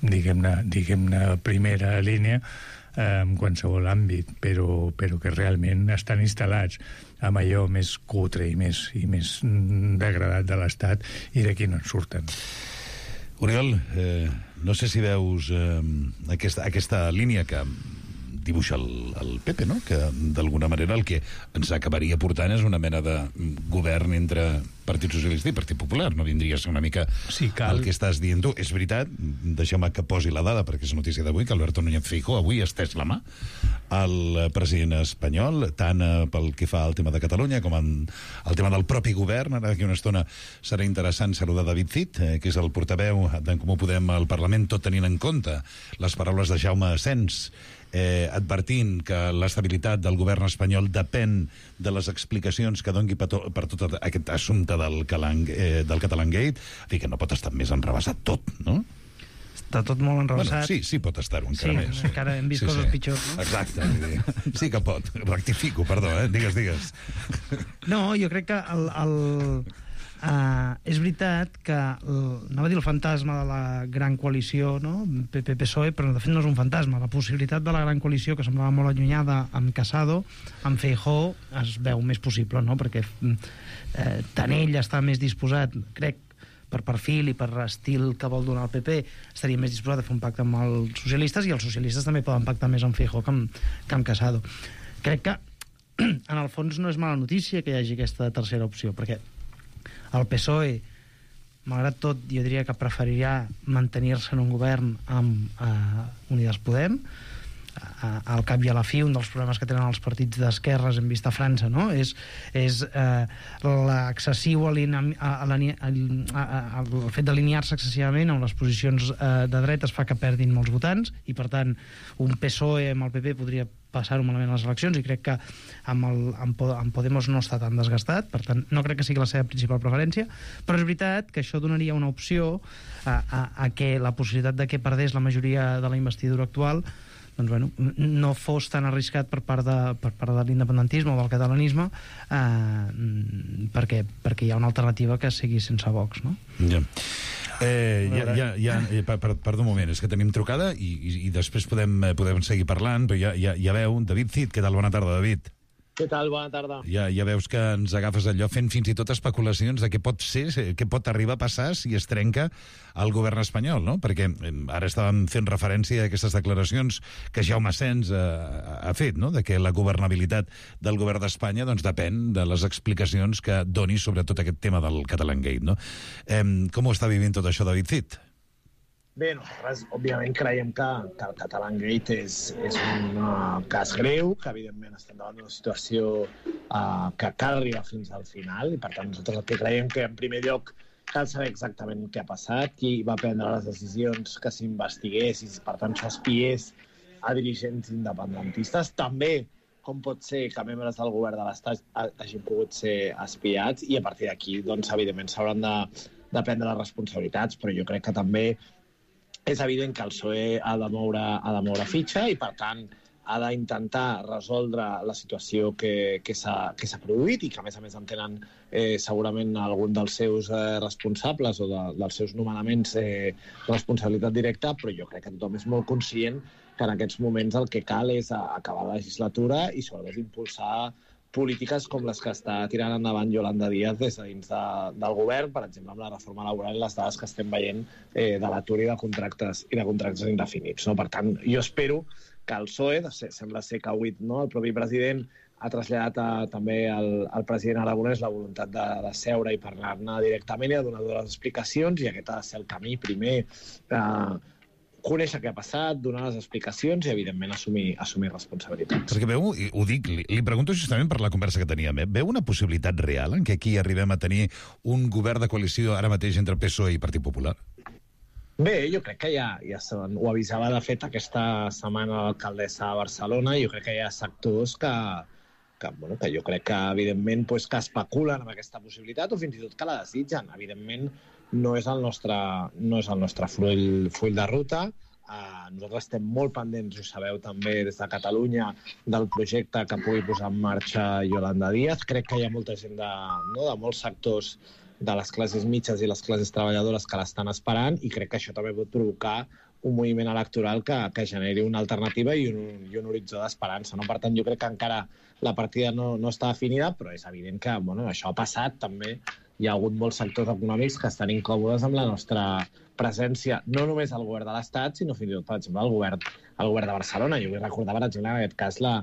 S15: diguem-ne diguem-ne primera línia eh, en qualsevol àmbit, però, però que realment estan instal·lats amb allò més cutre i més, i més degradat de l'Estat, i d'aquí no en surten.
S6: Oriol, eh, no sé si veus eh, aquesta, aquesta línia que dibuixa el, el P P, no? Que d'alguna manera el que ens acabaria portant és una mena de govern entre Partit Socialista i Partit Popular. No vindria a ser una mica sí, cal... el que estàs dient tu. És veritat, deixeu-me que posi la dada, perquè és notícia d'avui, que Alberto Núñez Feijóo avui ha estès la mà al president espanyol, tant pel que fa al tema de Catalunya com en el tema del propi govern. Ara d'aquí una estona serà interessant saludar David Cid, eh, que és el portaveu d'en Comú Podem al Parlament, tot tenint en compte les paraules de Jaume Asens, eh, advertint que l'estabilitat del govern espanyol depèn de les explicacions que doni per, to, per tot aquest assumpte del, Calang, eh, del Catalangate, en fi, que no pot estar més enrevessat tot, no?
S16: Està tot molt enrevessat.
S6: Bueno, sí, sí pot estar-ho encara
S16: sí,
S6: més.
S16: Sí, encara hem vist
S6: sí,
S16: coses
S6: sí.
S16: pitjors, no?
S6: Exacte, sí que pot. Rectifico, perdó, eh? Digues, digues.
S16: No, jo crec que el... el... Uh, és veritat que el, anava a dir el fantasma de la gran coalició, no? P P P S O E, però de fet no és un fantasma. La possibilitat de la gran coalició, que semblava molt allunyada amb Casado, amb Feijóo es veu més possible, no? Perquè eh, tant ell està més disposat, crec, per perfil i per estil que vol donar el P P, estaria més disposat a fer un pacte amb els socialistes, i els socialistes també poden pactar més amb Feijóo que amb, que amb Casado. Crec que en el fons no és mala notícia que hi hagi aquesta tercera opció, perquè el P S O E, malgrat tot, jo diria que preferiria mantenir-se en un govern amb eh, Unides Podem. Eh, al cap i a la fi, un dels problemes que tenen els partits d'esquerres, hem vist a França, no? és, és eh, l'excessiu aline- a- a- a- a- el fet d'alinear-se excessivament amb les posicions eh, de dretes fa que perdin molts votants, i per tant un P S O E amb el P P podria passar-ho malament a les eleccions, i crec que amb, el, amb, amb Podemos no està tan desgastat, per tant no crec que sigui la seva principal preferència, però és veritat que això donaria una opció a, a, a que la possibilitat de que perdés la majoria de la investidura actual doncs, bueno, no fos tan arriscat per part de, per part de l'independentisme o del catalanisme, eh, perquè, perquè hi ha una alternativa que sigui sense Vox, no?
S6: Ja. Eh, ja, ja, ja, per, per, perdó un moment, és que tenim trucada i, i, i després podem, podem seguir parlant, però ja, ja, ja veu, David Cid, què tal? Bona tarda, David.
S18: Què tal? Bona tarda.
S6: Ja, ja veus que ens agafes allò fent fins i tot especulacions de què pot ser, què pot arribar a passar si es trenca el govern espanyol, no? Perquè ara estàvem fent referència a aquestes declaracions que Jaume Asens eh, ha fet, no? De que la governabilitat del govern d'Espanya doncs, depèn de les explicacions que doni sobre tot aquest tema del Catalangate, no? Eh, com ho està vivint tot això, David Cid?
S18: Bé, nosaltres, òbviament, creiem que, que el Catalangate és, és un uh, cas greu, que, evidentment, estem davant d'una situació uh, que cal arribar fins al final, i, per tant, nosaltres el que creiem que, en primer lloc, cal saber exactament què ha passat, qui va prendre les decisions que s'investigués i, per tant, s'espiés a dirigents independentistes. També, com pot ser que membres del govern de l'Estat hagin pogut ser espiats, i, a partir d'aquí, doncs, evidentment, s'hauran de, de prendre les responsabilitats, però jo crec que també és evident que el P S O E ha de moure, ha de moure fitxa, i, per tant, ha d'intentar resoldre la situació que, que s'ha produït, i que, a més a més, en tenen eh, segurament algun dels seus eh, responsables o de, dels seus nomenaments eh, responsabilitat directa, però jo crec que tothom és molt conscient que en aquests moments el que cal és acabar la legislatura i, sobretot, impulsar polítiques com les que està tirant endavant Yolanda Díaz des de dins de, del govern, per exemple, amb la reforma laboral i les dades que estem veient eh, de l'atur i de contractes i de contractes indefinits. No? Per tant, jo espero que el P S O E, sembla ser que avui, no, el propi president ha traslladat a, també al, al president Aragonès la voluntat de, de seure i parlar-ne directament i de donar les explicacions, i aquest ha de ser el camí primer. Eh, conèixer què ha passat, donar les explicacions i, evidentment, assumir, assumir responsabilitats.
S6: Perquè veu, i ho dic, li, li pregunto justament per la conversa que teníem, eh? Veu una possibilitat real en què aquí arribem a tenir un govern de coalició ara mateix entre P S O E i Partit Popular?
S18: Bé, jo crec que ja, ja ho avisava, de fet, aquesta setmana l'alcaldessa de Barcelona, i jo crec que hi ha sectors que, que, bueno, que jo crec que, evidentment, pues, que especulen amb aquesta possibilitat o fins i tot que la desitgen. Evidentment, no és el nostre, no és el nostre full, full de ruta. Uh, nosaltres estem molt pendents, ho sabeu també des de Catalunya, del projecte que pugui posar en marxa Yolanda Díaz. Crec que hi ha molta gent de, no, de molts sectors de les classes mitges i les classes treballadores que l'estan esperant, i crec que això també pot provocar un moviment electoral que, que generi una alternativa i un, i un horitzó d'esperança. No? Per tant, jo crec que encara la partida no, no està definida, però és evident que, bueno, això ha passat també. Hi ha hagut molts sectors econòmics que estan incòmodes amb la nostra presència, no només al govern de l'Estat, sinó fins i tot, per exemple, al govern, al govern de Barcelona. Jo vull recordar, per exemple, en aquest cas, la,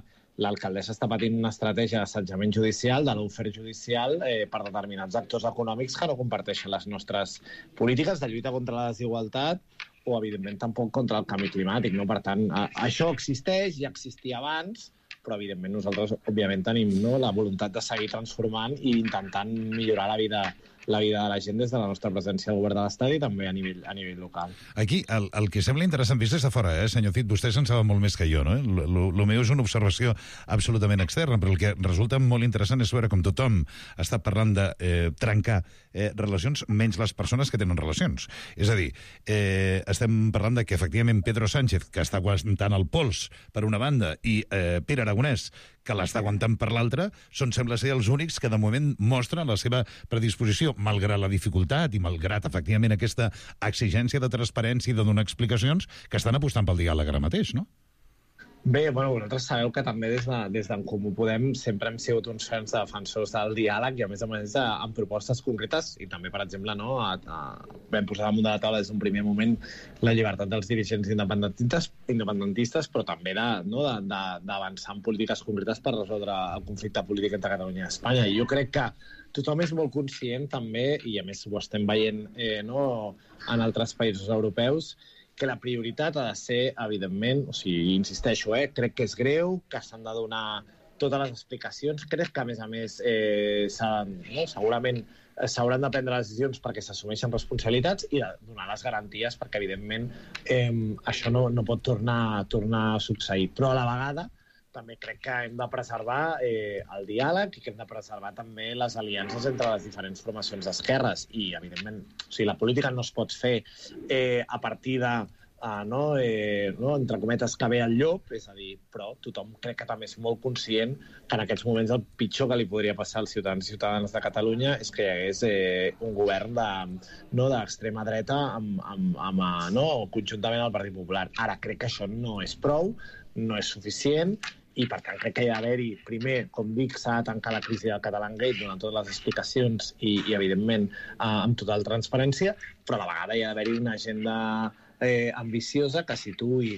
S18: l'alcaldessa està patint una estratègia d'assetjament judicial, de l'ofer judicial, eh, per determinats actors econòmics que no comparteixen les nostres polítiques de lluita contra la desigualtat o, evidentment, tampoc contra el canvi climàtic. No? Per tant, això existeix, ja existia abans, però, evidentment, nosaltres, òbviament, tenim, no, la voluntat de seguir transformant i intentant millorar la vida, la vida de la gent des de la nostra presència al govern de l'Estat i també a nivell, a nivell local.
S6: Aquí, el, el que sembla interessant vist des de fora, eh, senyor Cid, vostè se'n saben molt més que jo, no? El meu és una observació absolutament externa, però el que resulta molt interessant és veure com tothom està parlant de eh, trencar eh, relacions, menys les persones que tenen relacions. És a dir, eh, estem parlant de que, efectivament, Pedro Sánchez, que està aguantant el pols per una banda, i eh, Pere Aragonès, que l'està aguantant per l'altra, són, sembla ser, els únics que de moment mostren la seva predisposició, malgrat la dificultat i malgrat, efectivament, aquesta exigència de transparència i de donar explicacions, que estan apostant pel diàleg ara mateix, no?
S18: Bé, bueno, vosaltres sabeu que també des de, des d'en Comú Podem sempre hem sigut uns ferms de defensors del diàleg i, a més a més, amb propostes concretes i també, per exemple, no, a, a, vam posar damunt de la taula des d'un primer moment la llibertat dels dirigents independentistes, independentistes però també de, no, de, de, d'avançar en polítiques concretes per resoldre el conflicte polític entre Catalunya i Espanya. I jo crec que tothom és molt conscient també, i a més ho estem veient eh, no, en altres països europeus, que la prioritat ha de ser, evidentment, o sigui, insisteixo, eh, crec que és greu, que s'han de donar totes les explicacions. Crec que, a més a més, eh, no, segurament s'hauran de prendre les decisions perquè s'assumeixen responsabilitats i de donar les garanties perquè, evidentment, eh, això no, no pot tornar, tornar a succeir. Però, a la vegada, també crec que hem de preservar eh, el diàleg i que hem de preservar també les aliances entre les diferents formacions d'esquerres. I, evidentment, o sigui, la política no es pot fer eh, a partir de, uh, no, eh, no, entre cometes, que ve el llop, és a dir, però tothom crec que també és molt conscient que en aquests moments el pitjor que li podria passar als ciutadans i ciutadanes de Catalunya és que hi hagués eh, un govern de, no, d'extrema dreta amb, amb, amb, no, conjuntament al Partit Popular. Ara, crec que això no és prou, no és suficient, i, per tant, crec que hi ha d'haver-hi, primer, com dic, s'ha de tancar la crisi del Catalangate donant totes les explicacions i, i evidentment, eh, amb total transparència, però a la vegada hi ha d'haver-hi una agenda eh, ambiciosa que situï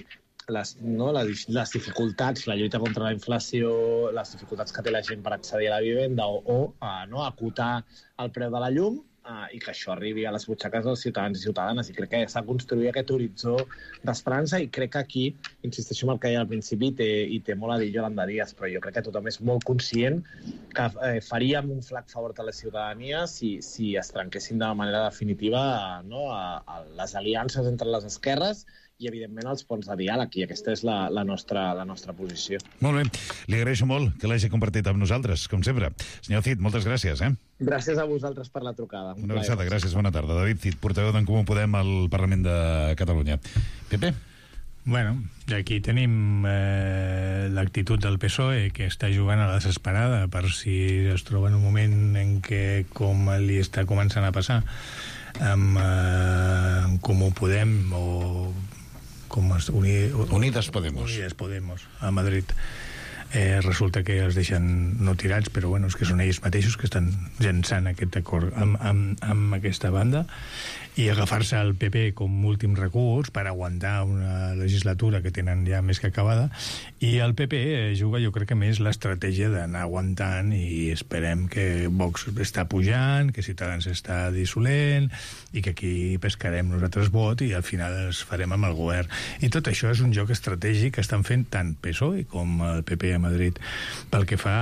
S18: les, no, les, les dificultats, la lluita contra la inflació, les dificultats que té la gent per accedir a la vivenda o, o eh, no, acotar el preu de la llum, Uh, i que això arribi a les butxaques dels ciutadans i ciutadanes. I crec que s'ha construït aquest horitzó d'esperança i crec que aquí, insisteixo en el que deia al principi, té, i té molt a dir Yolanda Díaz, però jo crec que tothom és molt conscient que eh, faríem un flac favor a la ciutadania si, si es trenquessin de manera definitiva no, a, a les aliances entre les esquerres i, evidentment, els ponts de diàleg, i aquesta és la, la, nostra, la nostra posició.
S6: Molt bé. Li agraeixo molt que l'hagi compartit amb nosaltres, com sempre. Senyor Cid, moltes gràcies, eh?
S18: Gràcies a vosaltres per la trucada.
S6: Una abraçada, gràcies, bona tarda. David Cid, portaveu d'en Comú Podem al Parlament de Catalunya. Pepe?
S15: Bueno, aquí tenim eh, l'actitud del P S O E, que està jugant a la desesperada per si es troba en un moment en què, com li està començant a passar, amb eh, Comú Podem o com es, uni,
S6: Unides Podemos.
S15: Unides Podemos, a Madrid. eh, resulta que els deixen no tirats, però bueno, és que són ells mateixos que estan llançant aquest acord amb, amb, amb aquesta banda, i agafar-se al P P com últim recurs per aguantar una legislatura que tenen ja més que acabada, i el P P juga, jo crec que més l'estratègia d'anar aguantant, i esperem que Vox està pujant, que Ciutadans està dissolent, i que aquí pescarem nosaltres vot i al final es farem amb el govern. I tot això és un joc estratègic que estan fent tant P S O E com el P P a Madrid. Pel que fa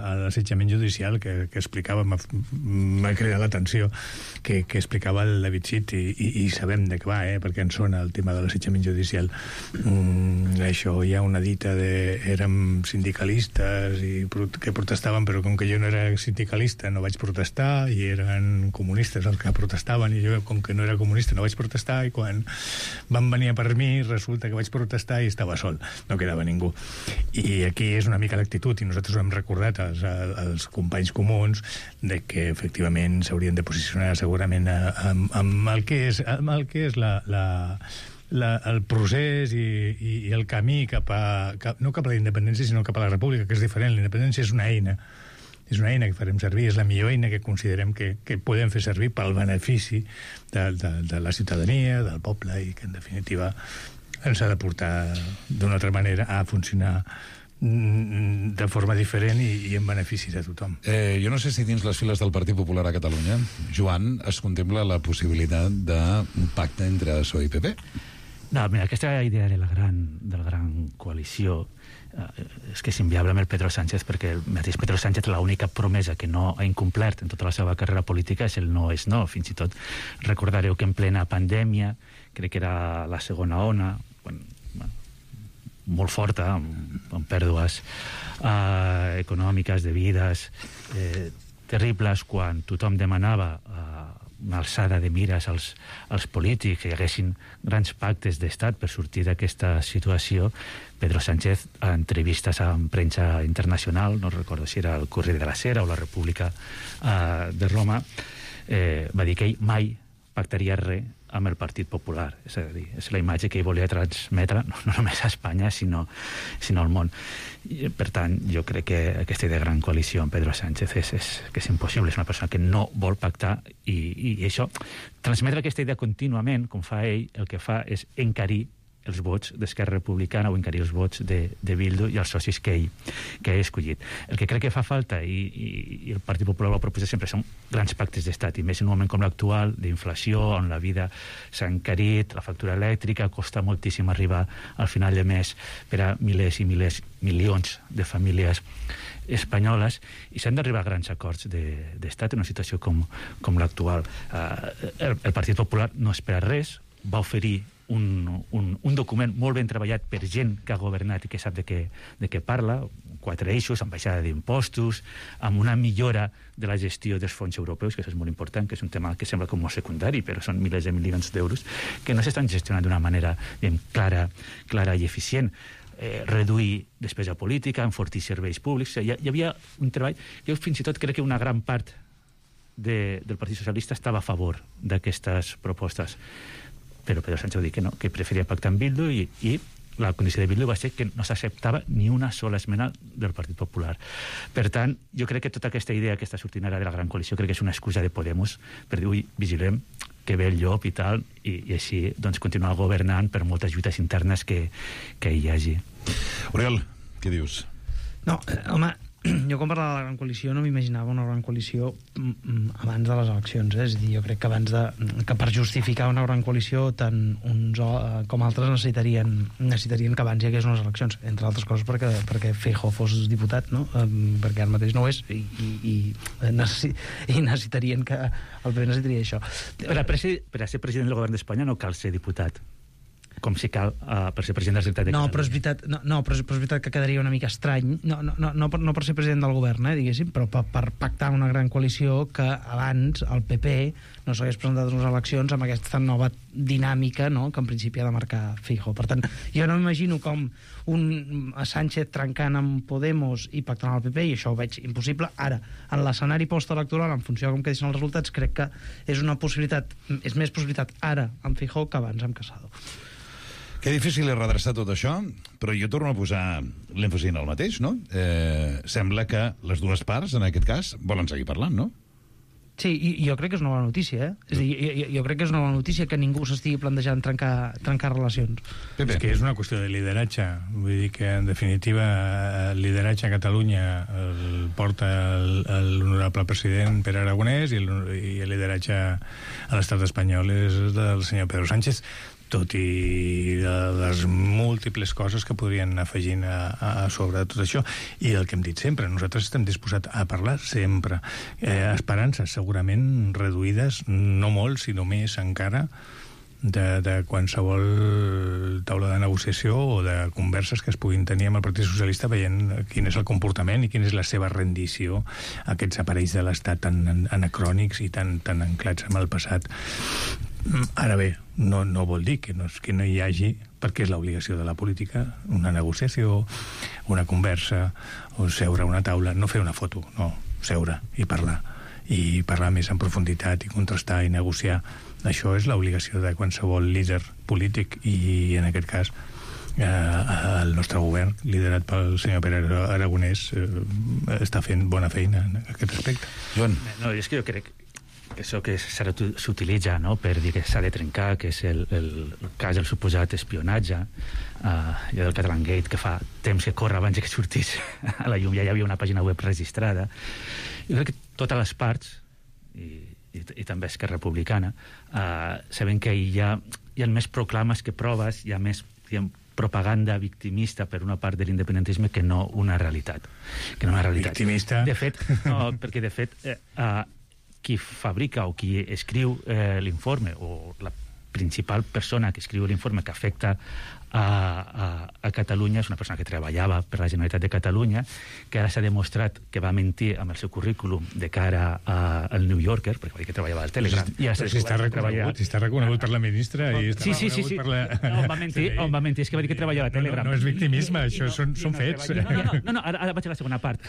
S15: a l'assetjament judicial que, que explicava, m'ha cridat l'atenció que, que explicava el David Cid, i, i, i sabem de què va, eh, perquè ens sona el tema de l'assetjament judicial. Mm, això, hi ha una dita de érem sindicalistes i que protestaven, però com que jo no era sindicalista no vaig protestar, i eren comunistes els que protestaven, i jo com que no era comunista no vaig protestar, i quan van venir a per mi resulta que vaig protestar i estava sol, no quedava ningú. I aquí és una mica l'actitud, i nosaltres ho hem recordat als, als companys comuns, de que efectivament s'haurien de posicionar segurament amb, amb el que és, amb el que és la, la, la, el procés i, i, i el camí cap a, cap, no cap a la independència, sinó cap a la república, que és diferent. La independència és una eina, és una eina que farem servir, és la millor eina que considerem que, que podem fer servir pel benefici de, de, de la ciutadania, del poble, i que en definitiva ens ha de portar d'una altra manera a funcionar de forma diferent i, i en benefici de tothom.
S6: Eh, jo no sé si dins les files del Partit Popular a Catalunya, Joan, es contempla la possibilitat d'un pacte entre P S O E i P P?
S17: No, mira, aquesta idea de la gran, de la gran coalició eh, és que és inviable amb el Pedro Sánchez, perquè el mateix Pedro Sánchez l'única promesa que no ha incomplert en tota la seva carrera política és el no és no. Fins i tot recordareu que en plena pandèmia, crec que era la segona ona, bueno, molt forta, amb, amb pèrdues eh, econòmiques, de vides eh, terribles, quan tothom demanava eh, una alçada de mires als, als polítics, que hi haguessin grans pactes d'estat per sortir d'aquesta situació. Pedro Sánchez, a entrevistes amb premsa internacional, no recordo si era el Corriere della Sera o la República eh, de Roma, eh, va dir que ell mai pactaria res amb el Partit Popular. És a dir, és la imatge que ell volia transmetre no, no només a Espanya, sinó, sinó al món. I, per tant, jo crec que aquesta idea de gran coalició amb Pedro Sánchez és, és, que és impossible. És una persona que no vol pactar, i, i, i això, transmetre aquesta idea contínuament, com fa ell, el que fa és encarir els vots d'Esquerra Republicana o encarir els vots de, de Bildu i els socis que ell, que ell ha escollit. El que crec que fa falta, i, i, i el Partit Popular ho ha proposat sempre, són grans pactes d'estat, i més en un moment com l'actual, d'inflació, on la vida s'ha encarit, la factura elèctrica, costa moltíssim arribar al final de mes per a milers i milers, milions de famílies espanyoles, i s'han d'arribar a grans acords d'estat de, en una situació com, com l'actual. Uh, el, el Partit Popular no espera res, va oferir Un, un, un document molt ben treballat per gent que ha governat i que sap de què, de què parla, quatre eixos, amb baixada d'impostos, amb una millora de la gestió dels fons europeus, que això és molt important, que és un tema que sembla com molt secundari, però són milers de milions d'euros que no s'estan gestionant d'una manera ben clara, clara i eficient. Eh, reduir despesa política, enfortir serveis públics. Hi, hi havia un treball, jo fins i tot crec que una gran part de, del Partit Socialista estava a favor d'aquestes propostes, però Pedro Sánchez va dir que no, que preferia pactar amb Bildu, i, i la condició de Bildu va ser que no s'acceptava ni una sola esmena del Partit Popular. Per tant, jo crec que tota aquesta idea que està sortint ara de la gran coalició crec que és una excusa de Podemos per dir, ui, vigilem que ve el llop i tal, i, i així doncs continuar governant per moltes lluites internes que, que hi hagi.
S6: Oriol, què dius?
S16: No, eh, home, jo quan parlava de la gran coalició no m'imaginava una gran coalició abans de les eleccions, eh? És a dir, jo crec que abans de, que per justificar una gran coalició tant uns com altres necessitarien, necessitarien que abans hi hagués unes eleccions, entre altres coses perquè, perquè Feijóo fos diputat, no? Um, perquè ara mateix no ho és, i, i, i, necessi, i necessitarien que el P P necessitaria això.
S17: Per a, per a ser president del govern d'Espanya no cal ser diputat, com si cal uh, per ser president de la Generalitat de
S16: no,
S17: Catalunya.
S16: Però és veritat, no, no, però és, però és veritat que quedaria una mica estrany, no, no, no, no, per, no per ser president del govern, eh, diguéssim, però per, per pactar una gran coalició que abans el P P no s'hagués presentat a unes eleccions amb aquesta nova dinàmica, no?, que en principi ha de marcar Feijóo. Per tant, jo no m'imagino com un Sánchez trencant amb Podemos i pactant amb el P P, i això ho veig impossible. Ara, en l'escenari postelectoral, en funció de com quedin els resultats, crec que és una possibilitat, és més possibilitat ara amb Feijóo que abans amb Casado.
S6: Que difícil és redreçar tot això, però jo torno a posar l'èmfasi en el mateix, no? Eh, sembla que les dues parts, en aquest cas, volen seguir parlant, no?
S16: Sí, i jo crec que és una bona notícia, eh? És a dir, jo, jo crec que és una bona notícia que ningú s'estigui plantejant trencar, trencar relacions.
S15: Pepe. És que és una qüestió de lideratge. Vull dir que, en definitiva, el lideratge a Catalunya el porta l'honorable president Pere Aragonès i el, i el lideratge a l'estat espanyol és del senyor Pedro Sánchez, tot i les múltiples coses que podrien anar afegint a, a sobre de tot això. I el que hem dit sempre, nosaltres estem disposats a parlar sempre. Eh, esperances segurament reduïdes, no molt, sinó més encara, de, de qualsevol taula de negociació o de converses que es puguin tenir amb el Partit Socialista veient quin és el comportament i quina és la seva rendició a aquests aparells de l'Estat tan anacrònics i tan, tan anclats amb el passat. Ara bé, no, no vol dir que no, que no hi hagi, perquè és l'obligació de la política, una negociació, una conversa, o seure a una taula, no fer una foto, no, seure i parlar, i parlar més en profunditat i contrastar i negociar. Això és l'obligació de qualsevol líder polític i, en aquest cas, eh, el nostre govern, liderat pel senyor Pere Aragonès, eh, està fent bona feina en aquest aspecte.
S6: Joan.
S17: No, és que jo crec que això que s'utilitza, no?, per dir que s'ha de trencar, que és el, el, el cas del suposat espionatge, uh, i del Catalangate, que fa temps que corre abans que sortís a la llum, ja hi havia una pàgina web registrada. Jo crec que totes les parts, i, i, i també Esquerra Republicana, uh, saben que hi ha, hi ha més proclames que proves, hi ha més, diguem, propaganda victimista per una part de l'independentisme que no una realitat. Que no una realitat.
S15: Victimista?
S17: De fet, no, perquè de fet... Eh, uh, qui fabrica o qui escriu eh, l'informe, o la principal persona que escriu l'informe que afecta a, a, a Catalunya és una persona que treballava per la Generalitat de Catalunya, que ara s'ha demostrat que va mentir amb el seu currículum de cara a, al New Yorker, perquè va dir que treballava al Telegram.
S15: I ja si està reconegut, si està reconegut per la ministra i està
S17: sí, sí, sí, sí.
S15: per la...
S17: No, on va mentir, on va mentir, és que va dir que treballava a Telegram.
S15: No, no, no és victimisme, això no, són, són no, fets.
S17: No, no, no, no, ara, ara vaig a la segona part.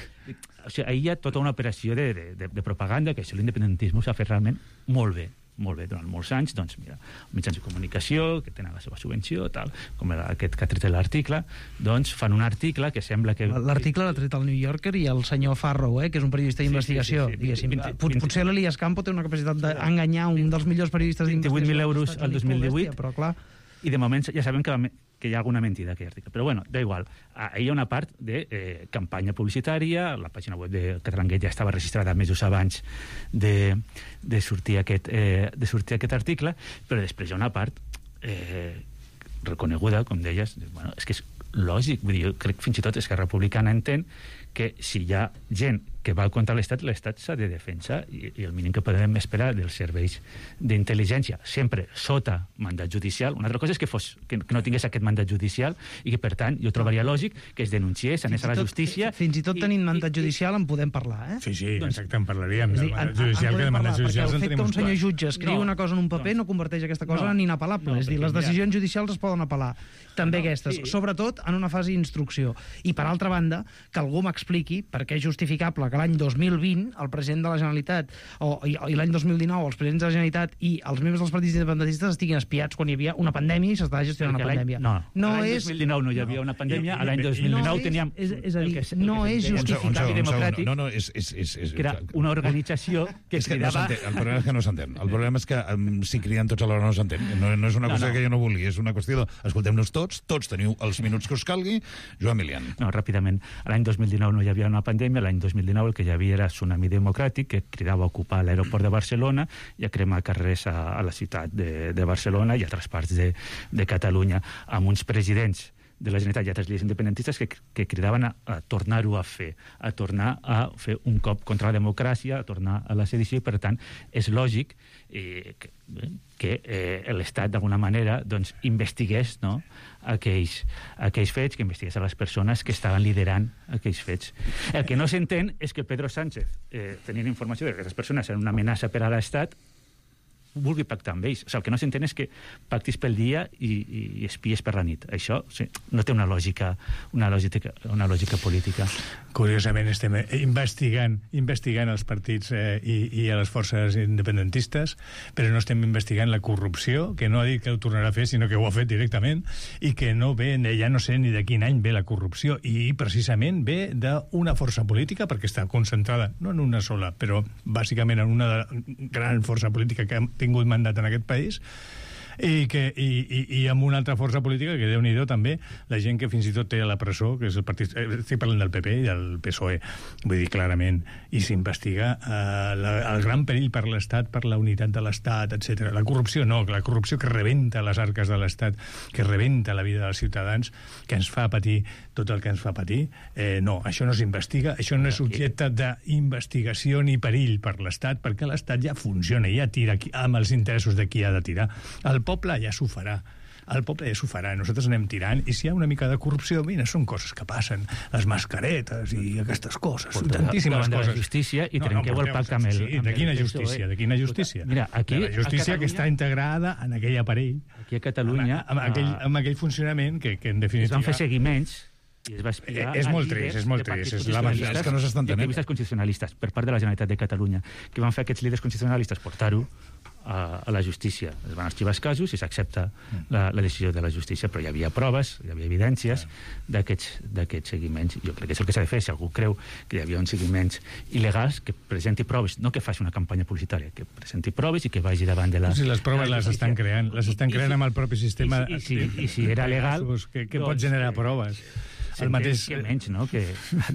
S17: O sigui, ahir hi ha tota una operació de, de, de, de propaganda que això l'independentisme s'ha fet realment molt bé. molt bé, durant molts anys, doncs mira, mitjans de comunicació que tenen la seva subvenció, tal, com aquest que ha tret l'article, doncs fan un article que sembla que...
S16: L'article l'ha tret el New Yorker i el senyor Farrow, eh, que és un periodista d'investigació, sí, sí, sí, diguéssim. vint, vint, Potser l'Elias Campo té una capacitat d'enganyar un dels millors periodistes d'investigació.
S17: vint-i-vuit mil euros al dos mil divuit,
S16: però clar...
S17: I de moment ja sabem que, que hi ha alguna mentida d'aquest article. Però bueno, da igual. Ahir hi ha una part de eh, campanya publicitària, la pàgina web de Catalangate ja estava registrada mesos abans de, de, sortir aquest, eh, de sortir aquest article, però després hi ha una part eh, reconeguda, com deies, bueno, és que és lògic, vull dir, jo crec que fins i tot Esquerra Republicana entén que si hi ha gent que va contra l'Estat, l'Estat s'ha de defensar i, i el mínim que podem esperar dels serveis d'intel·ligència, sempre sota mandat judicial. Una altra cosa és que, fos, que, que no tingués aquest mandat judicial i que, per tant, jo trobaria lògic que es denunciés, anés a la justícia...
S16: Fins i tot tenint mandat judicial en podem parlar, eh?
S15: Sí, sí, exacte, en parlaríem. Del mandat judicial, que de mandat judicial
S16: en tenim uns quants. El fet que un senyor jutge escriu una cosa en un paper no converteix aquesta cosa en inapel·lable. És dir, les decisions judicials es poden apel·lar. També aquestes, sobretot en una fase d'instrucció. I, per altra banda, que algú m'expliqui per què és justificable que l'any dos mil vint el president de la Generalitat o, i, i l'any dos mil dinou els presidents de la Generalitat i els membres dels partits independentistes estiguin espiats quan hi havia una pandèmia i s'estava gestionant una pandèmia.
S17: No,
S16: no
S17: l'any
S16: és...
S17: dos mil dinou no hi havia una pandèmia, l'any dos mil dinou
S16: no
S17: teníem...
S16: És, és a dir, que, no és justificat
S6: i democràtic. No, no, és... és, és, és
S17: que era una organització que
S6: és que
S17: cridava...
S6: No el problema és que no s'entén. El problema és que um, si criden tots alhora no s'entén. No, no és una cosa no, no. que jo no vulgui, és una qüestió de... Escoltem-nos tots, tots teniu els minuts que us calgui. Joan Milian.
S17: No, ràpidament. L'any dos mil dinou no hi havia una pandèmia, l'any dos mil dinou el que hi havia era Tsunami Democràtic, que cridava a ocupar l'aeroport de Barcelona i a cremar carrers a, a la ciutat de, de Barcelona i a altres parts de, de Catalunya, amb uns presidents de la Generalitat i altres líders independentistes que, que cridaven a, a tornar-ho a fer, a tornar a fer un cop contra la democràcia, a tornar a la sedició, i per tant és lògic eh, que, que eh, l'Estat d'alguna manera doncs, investigués, no?, aquells, aquells fets, que investigués a les persones que estaven liderant aquells fets. El que no s'entén és que Pedro Sánchez, eh, tenint informació de que aquestes persones eren una amenaça per a l'Estat, vulgui pactar amb ells. O sigui, el que no s'entén és que pactis pel dia i, i espies per la nit. Això sí, no té una lògica, una lògica, una lògica política.
S15: Curiosament estem investigant, investigant els partits eh, i, i a les forces independentistes, però no estem investigant la corrupció, que no ha dit que ho tornarà a fer, sinó que ho ha fet directament, i que no ve, ja no sé ni de quin any ve la corrupció, i precisament ve d'una força política, perquè està concentrada, no en una sola, però bàsicament en una gran força política que ha tingut mandat en aquest país, i, que, i, i, i amb una altra força política que, Déu-n'hi-do, també, la gent que fins i tot té a la presó, que és el partit... Estic parlant del P P i del P S O E, vull dir clarament, i s'investiga eh, la, el gran perill per l'Estat, per la unitat de l'Estat, etcètera. La corrupció no, la corrupció que rebenta les arques de l'Estat, que rebenta la vida dels ciutadans, que ens fa patir tot el que ens fa patir, eh, no, això no s'investiga, això no és objecte d'investigació ni perill per l'Estat, perquè l'Estat ja funciona, ja tira amb els interessos de qui ha de tirar. El poble ja s'ho farà. El poble ja s'ho farà. Nosaltres anem tirant, i si hi ha una mica de corrupció, mira, són coses que passen. Les mascaretes i aquestes coses. Porteu tantíssimes coses.
S17: De la justícia i no, trenqueu no, el pacte amb el...
S15: Sí, de quina justícia? De quina justícia?
S17: Mira, aquí...
S15: De la justícia que està integrada en aquell aparell.
S17: Aquí a Catalunya...
S15: Amb, amb, aquell, amb aquell funcionament que, que en definitiva...
S17: Es van fer seguiments i es va explicar...
S15: És molt trist, és molt trist. És lamentable. És que no s'estan tenint.
S17: Activistes constitucionalistes per part de la Generalitat de Catalunya que van fer aquests líders constitucionalistes portar-ho a, a la justícia. Es van arxivar els casos i s'accepta la, la decisió de la justícia, però hi havia proves, hi havia evidències d'aquests seguiments. Jo crec que és el que s'ha de fer. Si algú creu que hi havia uns seguiments il·legals, que presenti proves, no que faci una campanya publicitària, que presenti proves i que vagi davant de la...
S15: Sí, les proves les estan creant, les estan creant amb el propi sistema.
S17: I si, i si, i si era legal...
S15: Que, que pot generar proves.
S17: El mateix... Que menys, no?, que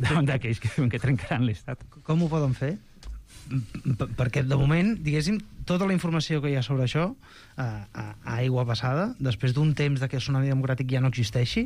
S17: davant d'aquells que diuen que trencaran l'Estat.
S16: Com ho poden fer? Perquè, de moment, diguéssim, tota la informació que hi ha sobre això a, a, a aigua passada, després d'un temps de que el tsunami democràtic ja no existeixi,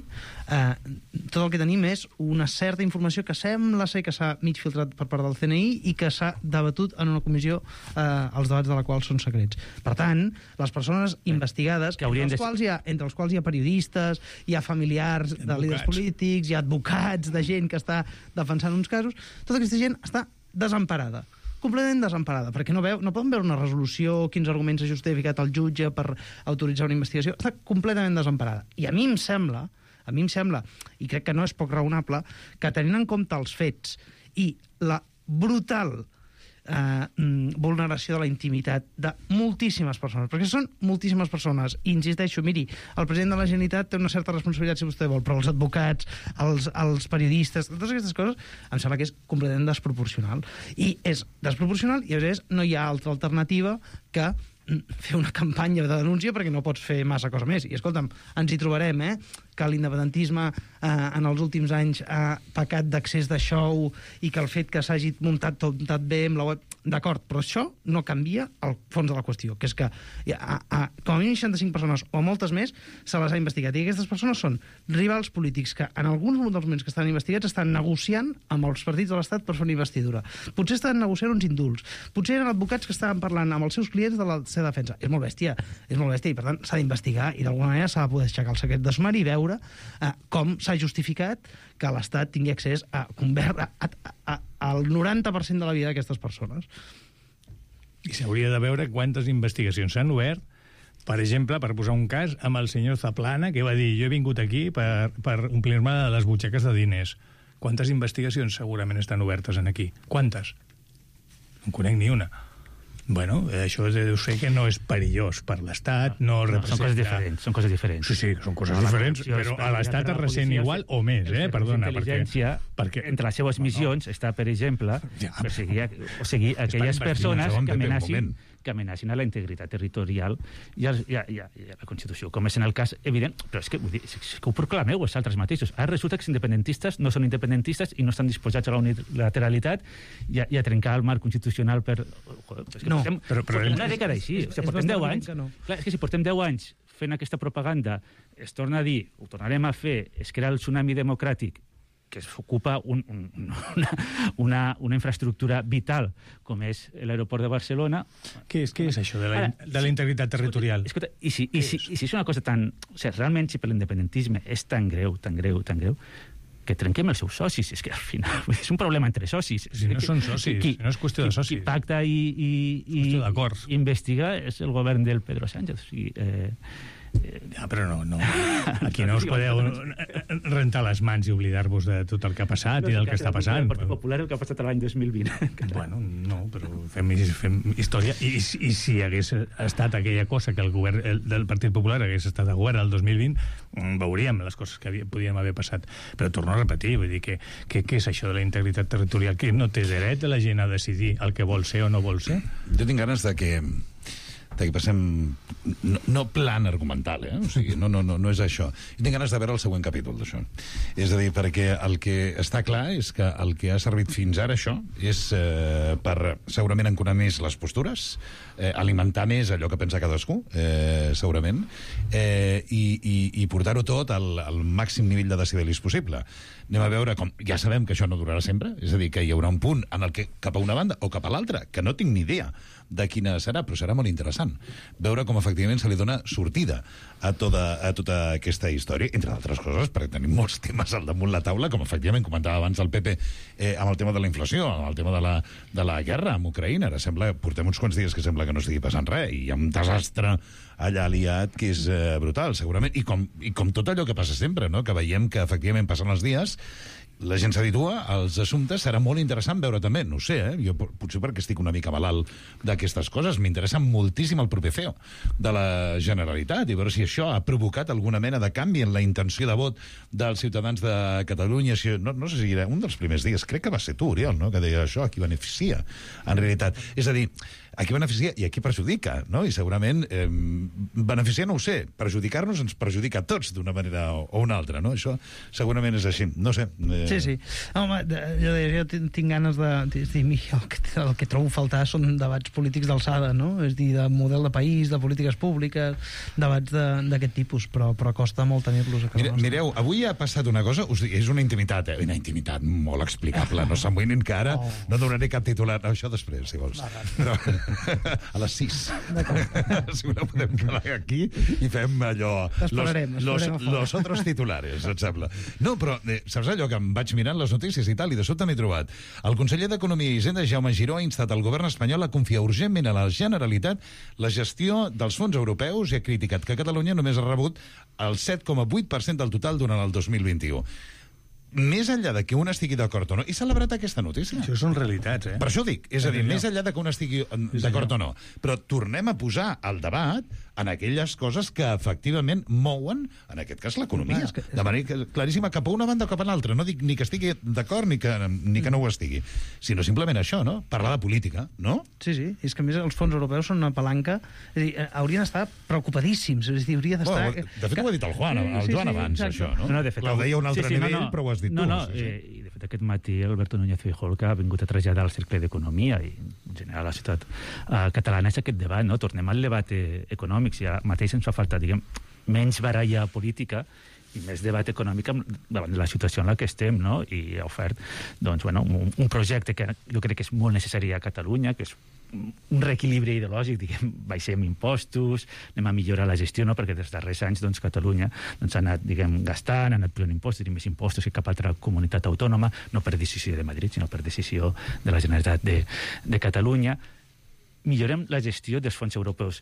S16: eh, tot el que tenim és una certa informació que sembla ser que s'ha mig filtrat per part del C N I i que s'ha debatut en una comissió, eh, els debats de la qual són secrets. Per tant, les persones investigades, que entre, els de... quals hi ha, entre els quals hi ha periodistes, hi ha familiars de líders polítics, hi ha advocats de gent que està defensant uns casos, tota aquesta gent està desemparada, completament desemparada, perquè no, veu, no poden veure una resolució, quins arguments ha justificat el jutge per autoritzar una investigació, està completament desemparada. I a mi em sembla, a mi em sembla, i crec que no és poc raonable, que tenint en compte els fets i la brutal eh, vulneració de la intimitat de moltíssimes persones, perquè són moltíssimes persones, i insisteixo, miri, el president de la Generalitat té una certa responsabilitat, si vostè vol, però els advocats, els, els periodistes, totes aquestes coses, em sembla que és completament desproporcional. I és desproporcional i, a més, no hi ha altra alternativa que fer una campanya de denúncia, perquè no pots fer massa cosa més. I, escolta'm, ens hi trobarem, eh?, que l'independentisme eh, en els últims anys ha pecat d'accés de show i que el fet que s'hagi muntat tot muntat bé amb la web... D'acord, però això no canvia el fons de la qüestió, que és que a, a, com a mínim seixanta-cinc persones o moltes més se les ha investigat. I aquestes persones són rivals polítics que en alguns dels moments que estan investigats estan negociant amb els partits de l'Estat per fer una investidura. Potser estan negociant uns indults. Potser eren advocats que estaven parlant amb els seus clients de la seva defensa. És molt bèstia, és molt bèstia i per tant s'ha d'investigar i d'alguna manera s'ha de poder aixecar el secret de sumari i veure eh, com s'ha justificat que l'Estat tingui accés a, a, a, a, al noranta per cent de la vida d'aquestes persones.
S15: I s'hauria de veure quantes investigacions s'han obert, per exemple, per posar un cas, amb el senyor Zaplana, que va dir, jo he vingut aquí per, per omplir-me les butxaques de diners. Quantes investigacions segurament estan obertes en aquí? Quantes? No en conec ni una. Bueno, això deu ser que no és perillós per l'Estat, no, no representa...
S17: Són coses diferents, són coses diferents.
S15: Sí, sí, són coses no, diferents, però a l'Estat es ressent igual o més, eh? Perdona, perquè...
S17: perquè... Entre les seves missions no, no. està, per exemple, ja, perseguir, o seguir aquelles persones que amenacin, que amenacin a la integritat territorial i a, i, a, i, a, i a la Constitució, com és en el cas evident, però és que, vull dir, és que ho proclameu els altres mateixos. Ara resulta que els independentistes no són independentistes i no estan disposats a la unilateralitat i a, i a trencar el marc constitucional per... Joder, és que
S16: no,
S17: portem,
S15: però, però
S17: portem una dècada així. És, o sigui, portem deu anys. No. Clar, és que si portem deu anys fent aquesta propaganda, es torna a dir, ho tornarem a fer, es crea el tsunami democràtic, que s'ocupa un, un, una, una, una infraestructura vital com és l'aeroport de Barcelona.
S15: Què és, què és això de la, Ara, de la integritat territorial?
S17: Escolta, i, si, i, si, i si és una cosa tan... O sigui, realment, si per l'independentisme és tan greu, tan greu, tan greu, que trenquem els seus socis. És que al final és un problema entre socis.
S15: Si no són socis, qui, no és qüestió de socis.
S17: Qui pacta i, i, i, i investiga és el govern del Pedro Sánchez. O sigui, eh,
S15: Ja, però no, no. Aquí no us podeu rentar les mans i oblidar-vos de tot el que ha passat i del que està passant.
S17: El Partit Popular el que ha passat l'any dos mil vint.
S15: Bueno, no, però fem, fem història. I, I si hagués estat aquella cosa que el govern el, del Partit Popular hagués estat a govern el dos mil vint, veuríem les coses que havia, podien haver passat. Però torno a repetir, vull dir que què és això de la integritat territorial? Que no té dret la gent a decidir el que vol ser o no vol ser?
S6: Jo tinc ganes de que de que passem... No, no plan argumental, eh? O sigui, no, no, no, no és això. Jo tinc ganes de veure el següent capítol d'això. És a dir, perquè el que està clar és que el que ha servit fins ara això és eh, per segurament enconar més les postures, eh, alimentar més allò que pensa cadascú, eh, segurament, eh, i, i, i portar-ho tot al, al màxim nivell de decibelis possible. Anem a veure com... Ja sabem que això no durarà sempre, és a dir, que hi haurà un punt en el que cap a una banda o cap a l'altra, que no tinc ni idea de quina serà, però serà molt interessant veure com efectivament se li dona sortida a tota, a tota aquesta història, entre d'altres coses, perquè tenim molts temes al damunt la taula, com efectivament comentava abans el Pepe, eh, amb el tema de la inflació, amb el tema de la, de la guerra amb Ucraïna. Ara sembla, portem uns quants dies que sembla que no estigui passant res, i hi ha un desastre allà aliat que és eh, brutal, segurament, i com, i com tot allò que passa sempre, no? Que veiem que efectivament passen els dies, la gent s'habitua als assumptes, serà molt interessant veure també, no ho sé, eh? Jo potser perquè estic una mica malalt d'aquestes coses, m'interessa moltíssim el proper C E O de la Generalitat i veure si això ha provocat alguna mena de canvi en la intenció de vot dels ciutadans de Catalunya. Si, no, no sé si era un dels primers dies, crec que va ser tu, Oriol, no? Que deia això, a qui beneficia, en realitat. És a dir, a qui beneficia i a qui perjudica, no? I segurament eh, beneficiar no ho sé, perjudicar-nos ens perjudica a tots d'una manera o, o una altra, no? Això segurament és així, no sé. Eh...
S16: Sí, sí. Home, jo, jo tinc ganes de... És dir, el que, el que trobo faltar són debats polítics d'alçada, no? És dir, de model de país, de polítiques públiques, debats d'aquest tipus, però, però costa molt tenir-los a casa
S6: Mire, Mireu, avui ha passat una cosa, us dic, és una intimitat, eh? Una intimitat molt explicable, no s'amoïnin que ara oh. no donaré cap titular, no, això després, si vols. Però... a les sis. Si no podem quedar aquí i fem allò...
S16: Esperarem,
S6: los, los, los otros titulares, et sembla. No, però eh, saps allò que em vaig mirant les notícies i tal, i de sobte m'he trobat. El conseller d'Economia i Hisenda, Jaume Giró, ha instat el govern espanyol a confiar urgentment a la Generalitat la gestió dels fons europeus i ha criticat que Catalunya només ha rebut el set coma vuit per cent del total durant el dos mil vint-i-u. Més enllà de que un estigui d'acord o no, he celebrat aquesta notícia.
S15: Això són realitats, eh?
S6: Per això dic, és a dir, més enllà de que un estigui d'acord o no, però tornem a posar el debat en aquelles coses que efectivament mouen, en aquest cas, l'economia. Que... De manera claríssima, cap a una banda o cap a l'altra. No dic ni que estigui d'acord ni, que, ni que no ho estigui, sinó simplement això, no? Parlar de política, no?
S16: Sí, sí. És que, a més, els fons europeus són una palanca. És a dir, haurien d'estar preocupadíssimos. És a dir, hauria d'estar...
S6: Bueno, de fet, ho ha dit el Juan, el
S16: sí,
S6: Joan
S16: sí,
S6: abans,
S16: exacte.
S6: això, no?
S17: No, de fet,
S6: ho deia un altre
S17: sí, sí,
S6: nivell,
S17: no, no.
S6: però ho has dit
S17: no,
S6: tu.
S17: No,
S6: sí, sí.
S17: eh, i de fet aquest matí Alberto Núñez Feijóo que ha vingut a traslladar al Cercle d'Economia i en general a la ciutat eh, catalana és aquest debat, no? Tornem al debat eh, econòmic, si ja mateix ens fa falta, diguem, menys baralla política i més debat econòmic davant de la situació en la que estem, no? I ha ofert, doncs, bueno, un, un projecte que jo crec que és molt necessari a Catalunya, que és un reequilibri ideològic, diguem, baixem impostos, anem a millorar la gestió, no? Perquè dels darrers anys, doncs, Catalunya doncs, ha anat, diguem, gastant, ha anat pujant impostos i més impostos que cap altra comunitat autònoma, no per decisió de Madrid, sinó per decisió de la Generalitat de, de Catalunya. Millorem la gestió dels fons europeus.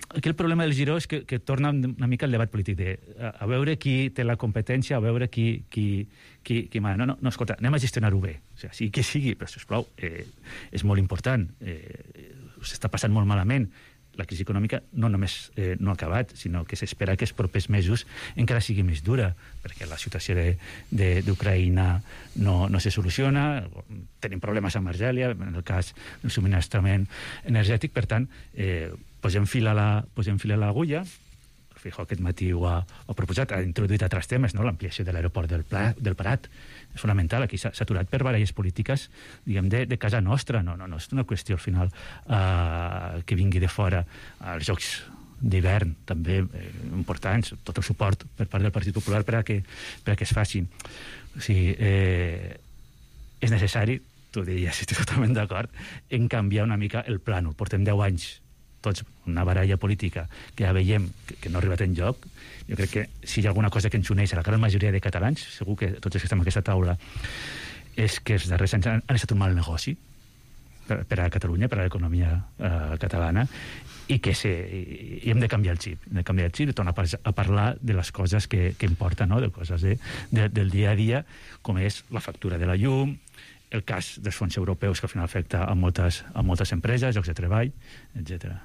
S17: Aquí el problema del Giró és que, que torna una mica al debat polític de a, a veure qui té la competència, a veure qui... qui, qui, qui no, no, no, escolta, anem a gestionar-ho bé. O sigui, sí que sigui, però, sisplau, eh, és molt important. Eh, s'està passant molt malament. La crisi econòmica no només eh, no ha acabat, sinó que s'espera que els propers mesos encara sigui més dura, perquè la situació d'Ucraïna no, no se soluciona, tenim problemes amb Argèlia, en el cas del subministrament energètic, per tant, eh, posem fil a la, posem fil a l'agulla. Feijóo aquest matí ho ha, ho ha proposat, ha introduït altres temes, no? L'ampliació de l'aeroport del, del Prat, és fonamental, aquí s'ha aturat per baralles polítiques, diguem, de, de casa nostra, no, no, no és una qüestió al final eh, que vingui de fora. Els Jocs d'hivern també eh, importants, tot el suport per part del Partit Popular per a que, per a que es facin. O sigui, eh, és necessari, tu diries, estic totalment d'acord, en canviar una mica el plànol. Portem deu anys tots una baralla política que ja veiem que, que no ha arribat enlloc, jo crec que si hi ha alguna cosa que ens uneix a la gran majoria de catalans, segur que tots els que estem en aquesta taula, és que els darrers anys han, han estat un mal negoci per, per a Catalunya, per a l'economia eh, catalana, i que se, i hem de canviar el xip, hem de canviar el xip i tornar a parlar de les coses que, que importen, no? De coses de, de, del dia a dia, com és la factura de la llum, el cas dels fons europeus que al final afecta a moltes, a moltes empreses, llocs de treball, etcètera.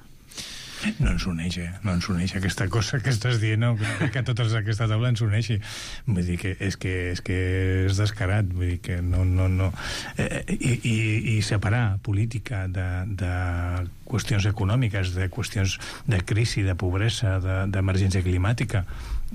S15: No ens uneix, eh? No ens uneix aquesta cosa que estàs dient, no? Que a totes aquesta taula ens uneixi. Vull dir que és que és, que és descarat, vull dir que no... no, no. Eh, i, i, I separar política de, de qüestions econòmiques, de qüestions de crisi, de pobresa, d'emergència de, climàtica,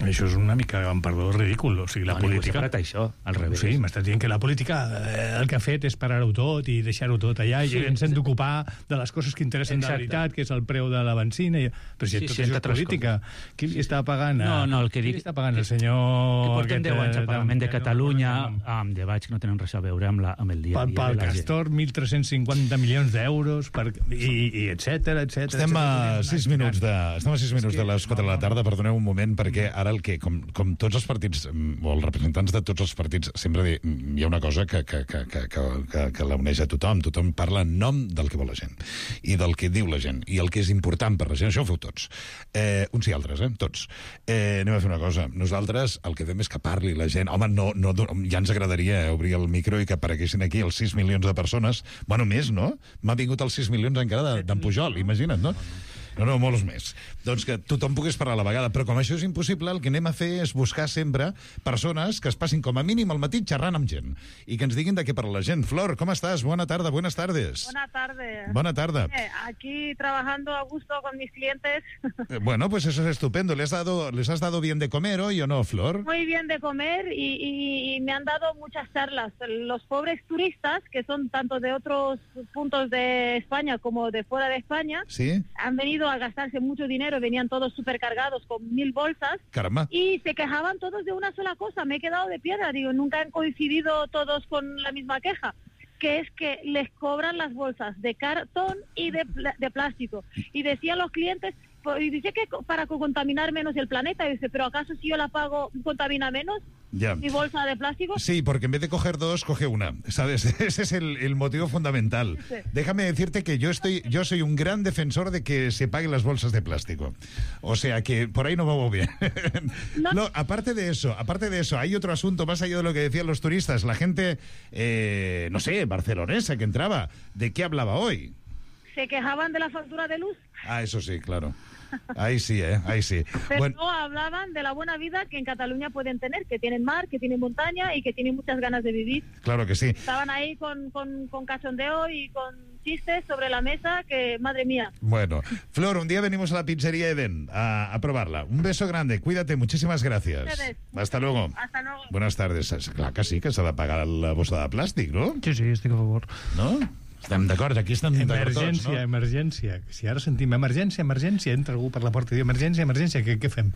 S15: això és una mica, amb perdó, ridícul. O sigui, la
S17: no,
S15: política...
S17: No, això, al revés.
S15: Sí, m'estàs dient que la política eh, el que ha fet és parar-ho tot i deixar-ho tot allà, sí, i ens hem d'ocupar de les coses que interessen. Exacte. De veritat, que és el preu de la benzina. I... Però si sí, tot sí, això és política, coses. Qui li està pagant? A...
S17: No, no, el que dic...
S15: Qui li està pagant el senyor...
S17: Que portem deu anys al Parlament de Catalunya amb debats que no tenen res a veure amb, la, amb el dia a dia
S15: pel
S17: de la gent.
S15: Castor, mil tres-cents cinquanta milions d'euros, per... i, i etcètera, etcètera.
S6: Estem a sis minuts de, estem a sis minuts de les quatre de la tarda, perdoneu un moment, perquè ara el que, com, com tots els partits, o els representants de tots els partits, sempre di, hi ha una cosa que, que, que, que, que, que la uneix a tothom. Tothom parla en nom del que vol la gent, i del que diu la gent, i el que és important per la gent. Això ho feu tots. Eh, uns i altres, eh? Tots. Eh, anem a fer una cosa. Nosaltres el que fem és que parli la gent. Home, no, no, ja ens agradaria obrir el micro i que apareguessin aquí els sis milions de persones. Bueno, més, no? M'ha vingut els sis milions encara d'en Pujol, imagina't, no? No, no, molts més. Doncs que tothom pogués parlar a la vegada. Però com això és impossible, el que anem a fer és buscar sempre persones que es passin com a mínim al matí xerrant amb gent i que ens diguin de què parla la gent. Flor, ¿cómo estás? Buena tarde, buenas tardes.
S19: Buena tarde.
S6: Buena tarde.
S19: Eh, aquí trabajando a gusto con mis clientes.
S6: Eh, bueno, pues eso es estupendo. ¿Les, dado, ¿Les has dado bien de comer hoy o no, Flor?
S19: Muy bien de comer y, y, y me han dado muchas charlas. Los pobres turistas, que son tanto de otros puntos de España como de fuera de España,
S6: ¿sí?
S19: Han venido a gastarse mucho dinero, venían todos supercargados con mil bolsas.
S6: Caramba.
S19: Y se quejaban todos de una sola cosa. Me he quedado de piedra, digo, nunca han coincidido todos con la misma queja, que es que les cobran las bolsas de cartón y de, de plástico. Y decían los clientes, y dice que para contaminar menos el planeta, y dice, pero ¿acaso si yo la pago contamina menos?
S6: Ya.
S19: ¿Mi bolsa de plástico?
S6: Sí, porque en vez de coger dos, coge una, ¿sabes? Ese es el, el motivo fundamental. Sí. Déjame decirte que yo estoy, yo soy un gran defensor de que se paguen las bolsas de plástico. O sea que por ahí no me voy bien. No. No, aparte de eso, aparte de eso, hay otro asunto más allá de lo que decían los turistas. La gente, eh, no sé, barcelonesa que entraba, ¿de qué hablaba hoy?
S19: Se quejaban de la factura de luz.
S6: Ah, eso sí, claro. Ahí sí, ¿eh? Ahí sí.
S19: Pero
S6: bueno,
S19: no hablaban de la buena vida que en Cataluña pueden tener, que tienen mar, que tienen montaña y que tienen muchas ganas de vivir.
S6: Claro que sí.
S19: Estaban ahí con, con, con cachondeo y con chistes sobre la mesa que, madre mía.
S6: Bueno, Flor, un día venimos a la pizzería Eden a, a probarla. Un beso grande, cuídate, muchísimas gracias.
S19: Ustedes.
S6: Hasta luego.
S19: Hasta luego.
S6: Buenas tardes. Clar que sí, que s'ha de pagar la bossa de plàstic, no?
S16: Sí, sí, estic a favor.
S6: No? Estem d'acord, aquí estem d'acord tots, no?
S15: Emergència, emergència. Si ara sentim emergència, emergència, entra algú per la porta i diu emergència, emergència, què, què fem?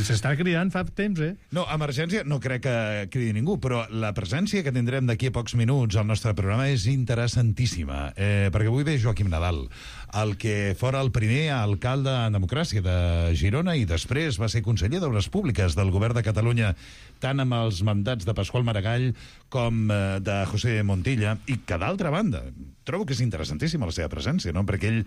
S15: S'està cridant fa temps, eh?
S6: No, emergència no crec que cridi ningú, però la presència que tindrem d'aquí a pocs minuts al nostre programa és interessantíssima, eh, perquè avui ve Joaquim Nadal, el que fora el primer alcalde en democràcia de Girona i després va ser conseller d'Obres Públiques del govern de Catalunya, tant amb els mandats de Pasqual Maragall com eh, de José Montilla, i que d'altra banda trobo que és interessantíssima la seva presència, no? Perquè ell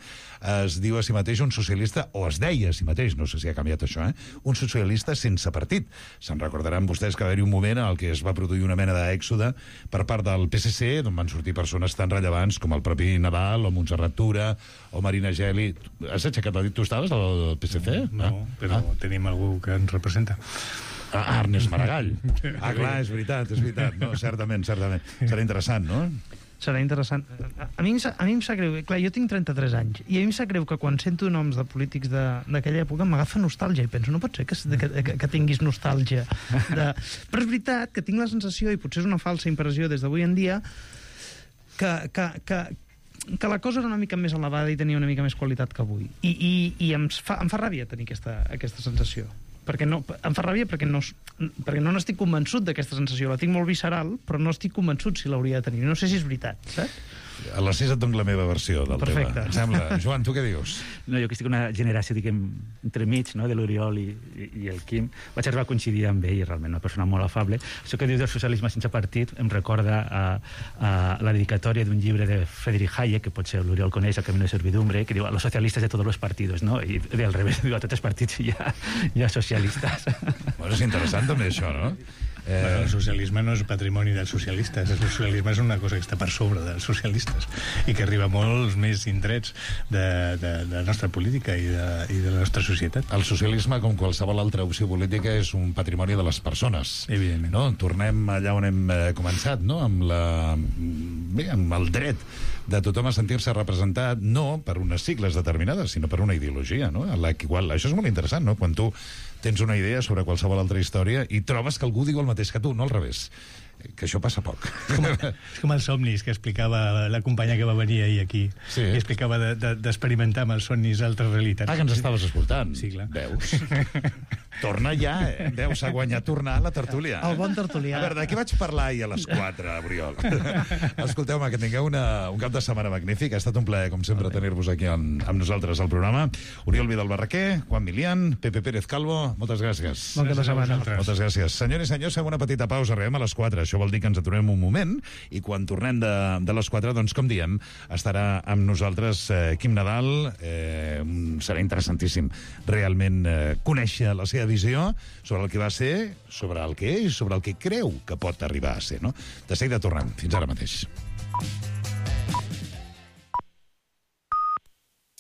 S6: es diu a si mateix un socialista, o es deia a si mateix, no sé si ha canviat això, eh? Un socialista sense partit. Se'n recordaran vostès que va haver-hi un moment en el que es va produir una mena d'èxode per part del P S C, d'on van sortir persones tan rellevants com el propi Nadal, o Montserrat Tura, o Marina Geli. Has aixecat el dit? Tu estaves al P S C?
S15: No, no,
S6: ah?
S15: però
S6: ah.
S15: tenim algú que ens representa.
S6: Ah, Ernest Maragall. Ah, clar, és veritat, és veritat. No, certament, certament. Serà interessant, no?
S16: Serà interessant. A mi, a mi em sap greu, clar, jo tinc trenta-tres anys, i a mi em sap greu que quan sento noms de polítics d'aquella època m'agafa nostàlgia, i penso, no pot ser que, que, que, que tinguis nostàlgia. De... Però és veritat que tinc la sensació, i potser és una falsa impressió des d'avui en dia, que, que, que, que la cosa era una mica més elevada i tenia una mica més qualitat que avui. I, i, i em, fa, em fa ràbia tenir aquesta, aquesta sensació. Perquè no, em fa ràbia perquè no, perquè no n'estic convençut d'aquesta sensació. La tinc molt visceral, però no estic convençut si l'hauria de tenir. No sé si és veritat, saps?
S6: A les sis et dono la meva versió del
S17: Perfecte.
S6: tema. Em sembla. Joan, tu què dius?
S17: No, jo que estic una generació, diguem, entremig, no?, de l'Oriol i, i, i el Quim, vaig arribar a coincidir amb ell, realment una persona molt afable. Això que dius del socialisme sense partit em recorda a, a la dedicatòria d'un llibre de Friedrich Hayek, que potser l'Oriol coneix, El camino de servidumbre, que diu a los socialistas de todos los partidos, no? I al revés, diu a tots els partits hi ha, hi ha socialistes.
S6: Bueno, és interessant també això, no?
S15: Eh... Bueno, el socialisme no és patrimoni dels socialistes, el socialisme és una cosa que està per sobre dels socialistes i que arriba a molts més indrets de, de, de la nostra política i de, i de la nostra societat.
S6: El socialisme, com qualsevol altra opció política, és un patrimoni de les persones.
S15: Evidentment.
S6: No? Tornem allà on hem començat, no? Amb, la... Bé, amb el dret de tothom a sentir-se representat no per unes sigles determinades, sinó per una ideologia, no? La qual, això és molt interessant, no? Quan tu tens una idea sobre qualsevol altra història i trobes que algú diu el mateix que tu, no al revés. Que això passa poc.
S15: És com, és com els somnis que explicava la companya que va venir ahir aquí.
S6: Sí.
S15: Que explicava d'experimentar de, de, amb els somnis altres realitats.
S6: Ah, que ens estaves escoltant.
S15: Sí, clar.
S6: Veus? Torna ja, eh? Veus, s'ha guanyat tornar a la tertúlia.
S16: El bon tertulià.
S6: A veure, de què vaig parlar ahir a les quatre, Oriol? Escolteu-me, que tingueu una, un cap de setmana magnífic. Ha estat un plaer, com sempre, tenir-vos aquí en, amb nosaltres al programa. Oriol Vidal Barraquer, Juan Milián, Pepe Pérez Calvo, moltes gràcies.
S16: Bon cap de setmana.
S6: Moltes gràcies. Senyors i senyors, fem una petita pausa, arribem a les quatre. Això vol dir que ens aturem un moment i quan tornem de, de les quatre, doncs, com diem, estarà amb nosaltres eh, Quim Nadal. Eh, serà interessantíssim realment eh, conèixer la seva visió sobre el que va ser, sobre el que és, sobre el que creu que pot arribar a ser, no? De seguida tornem. Fins ara mateix.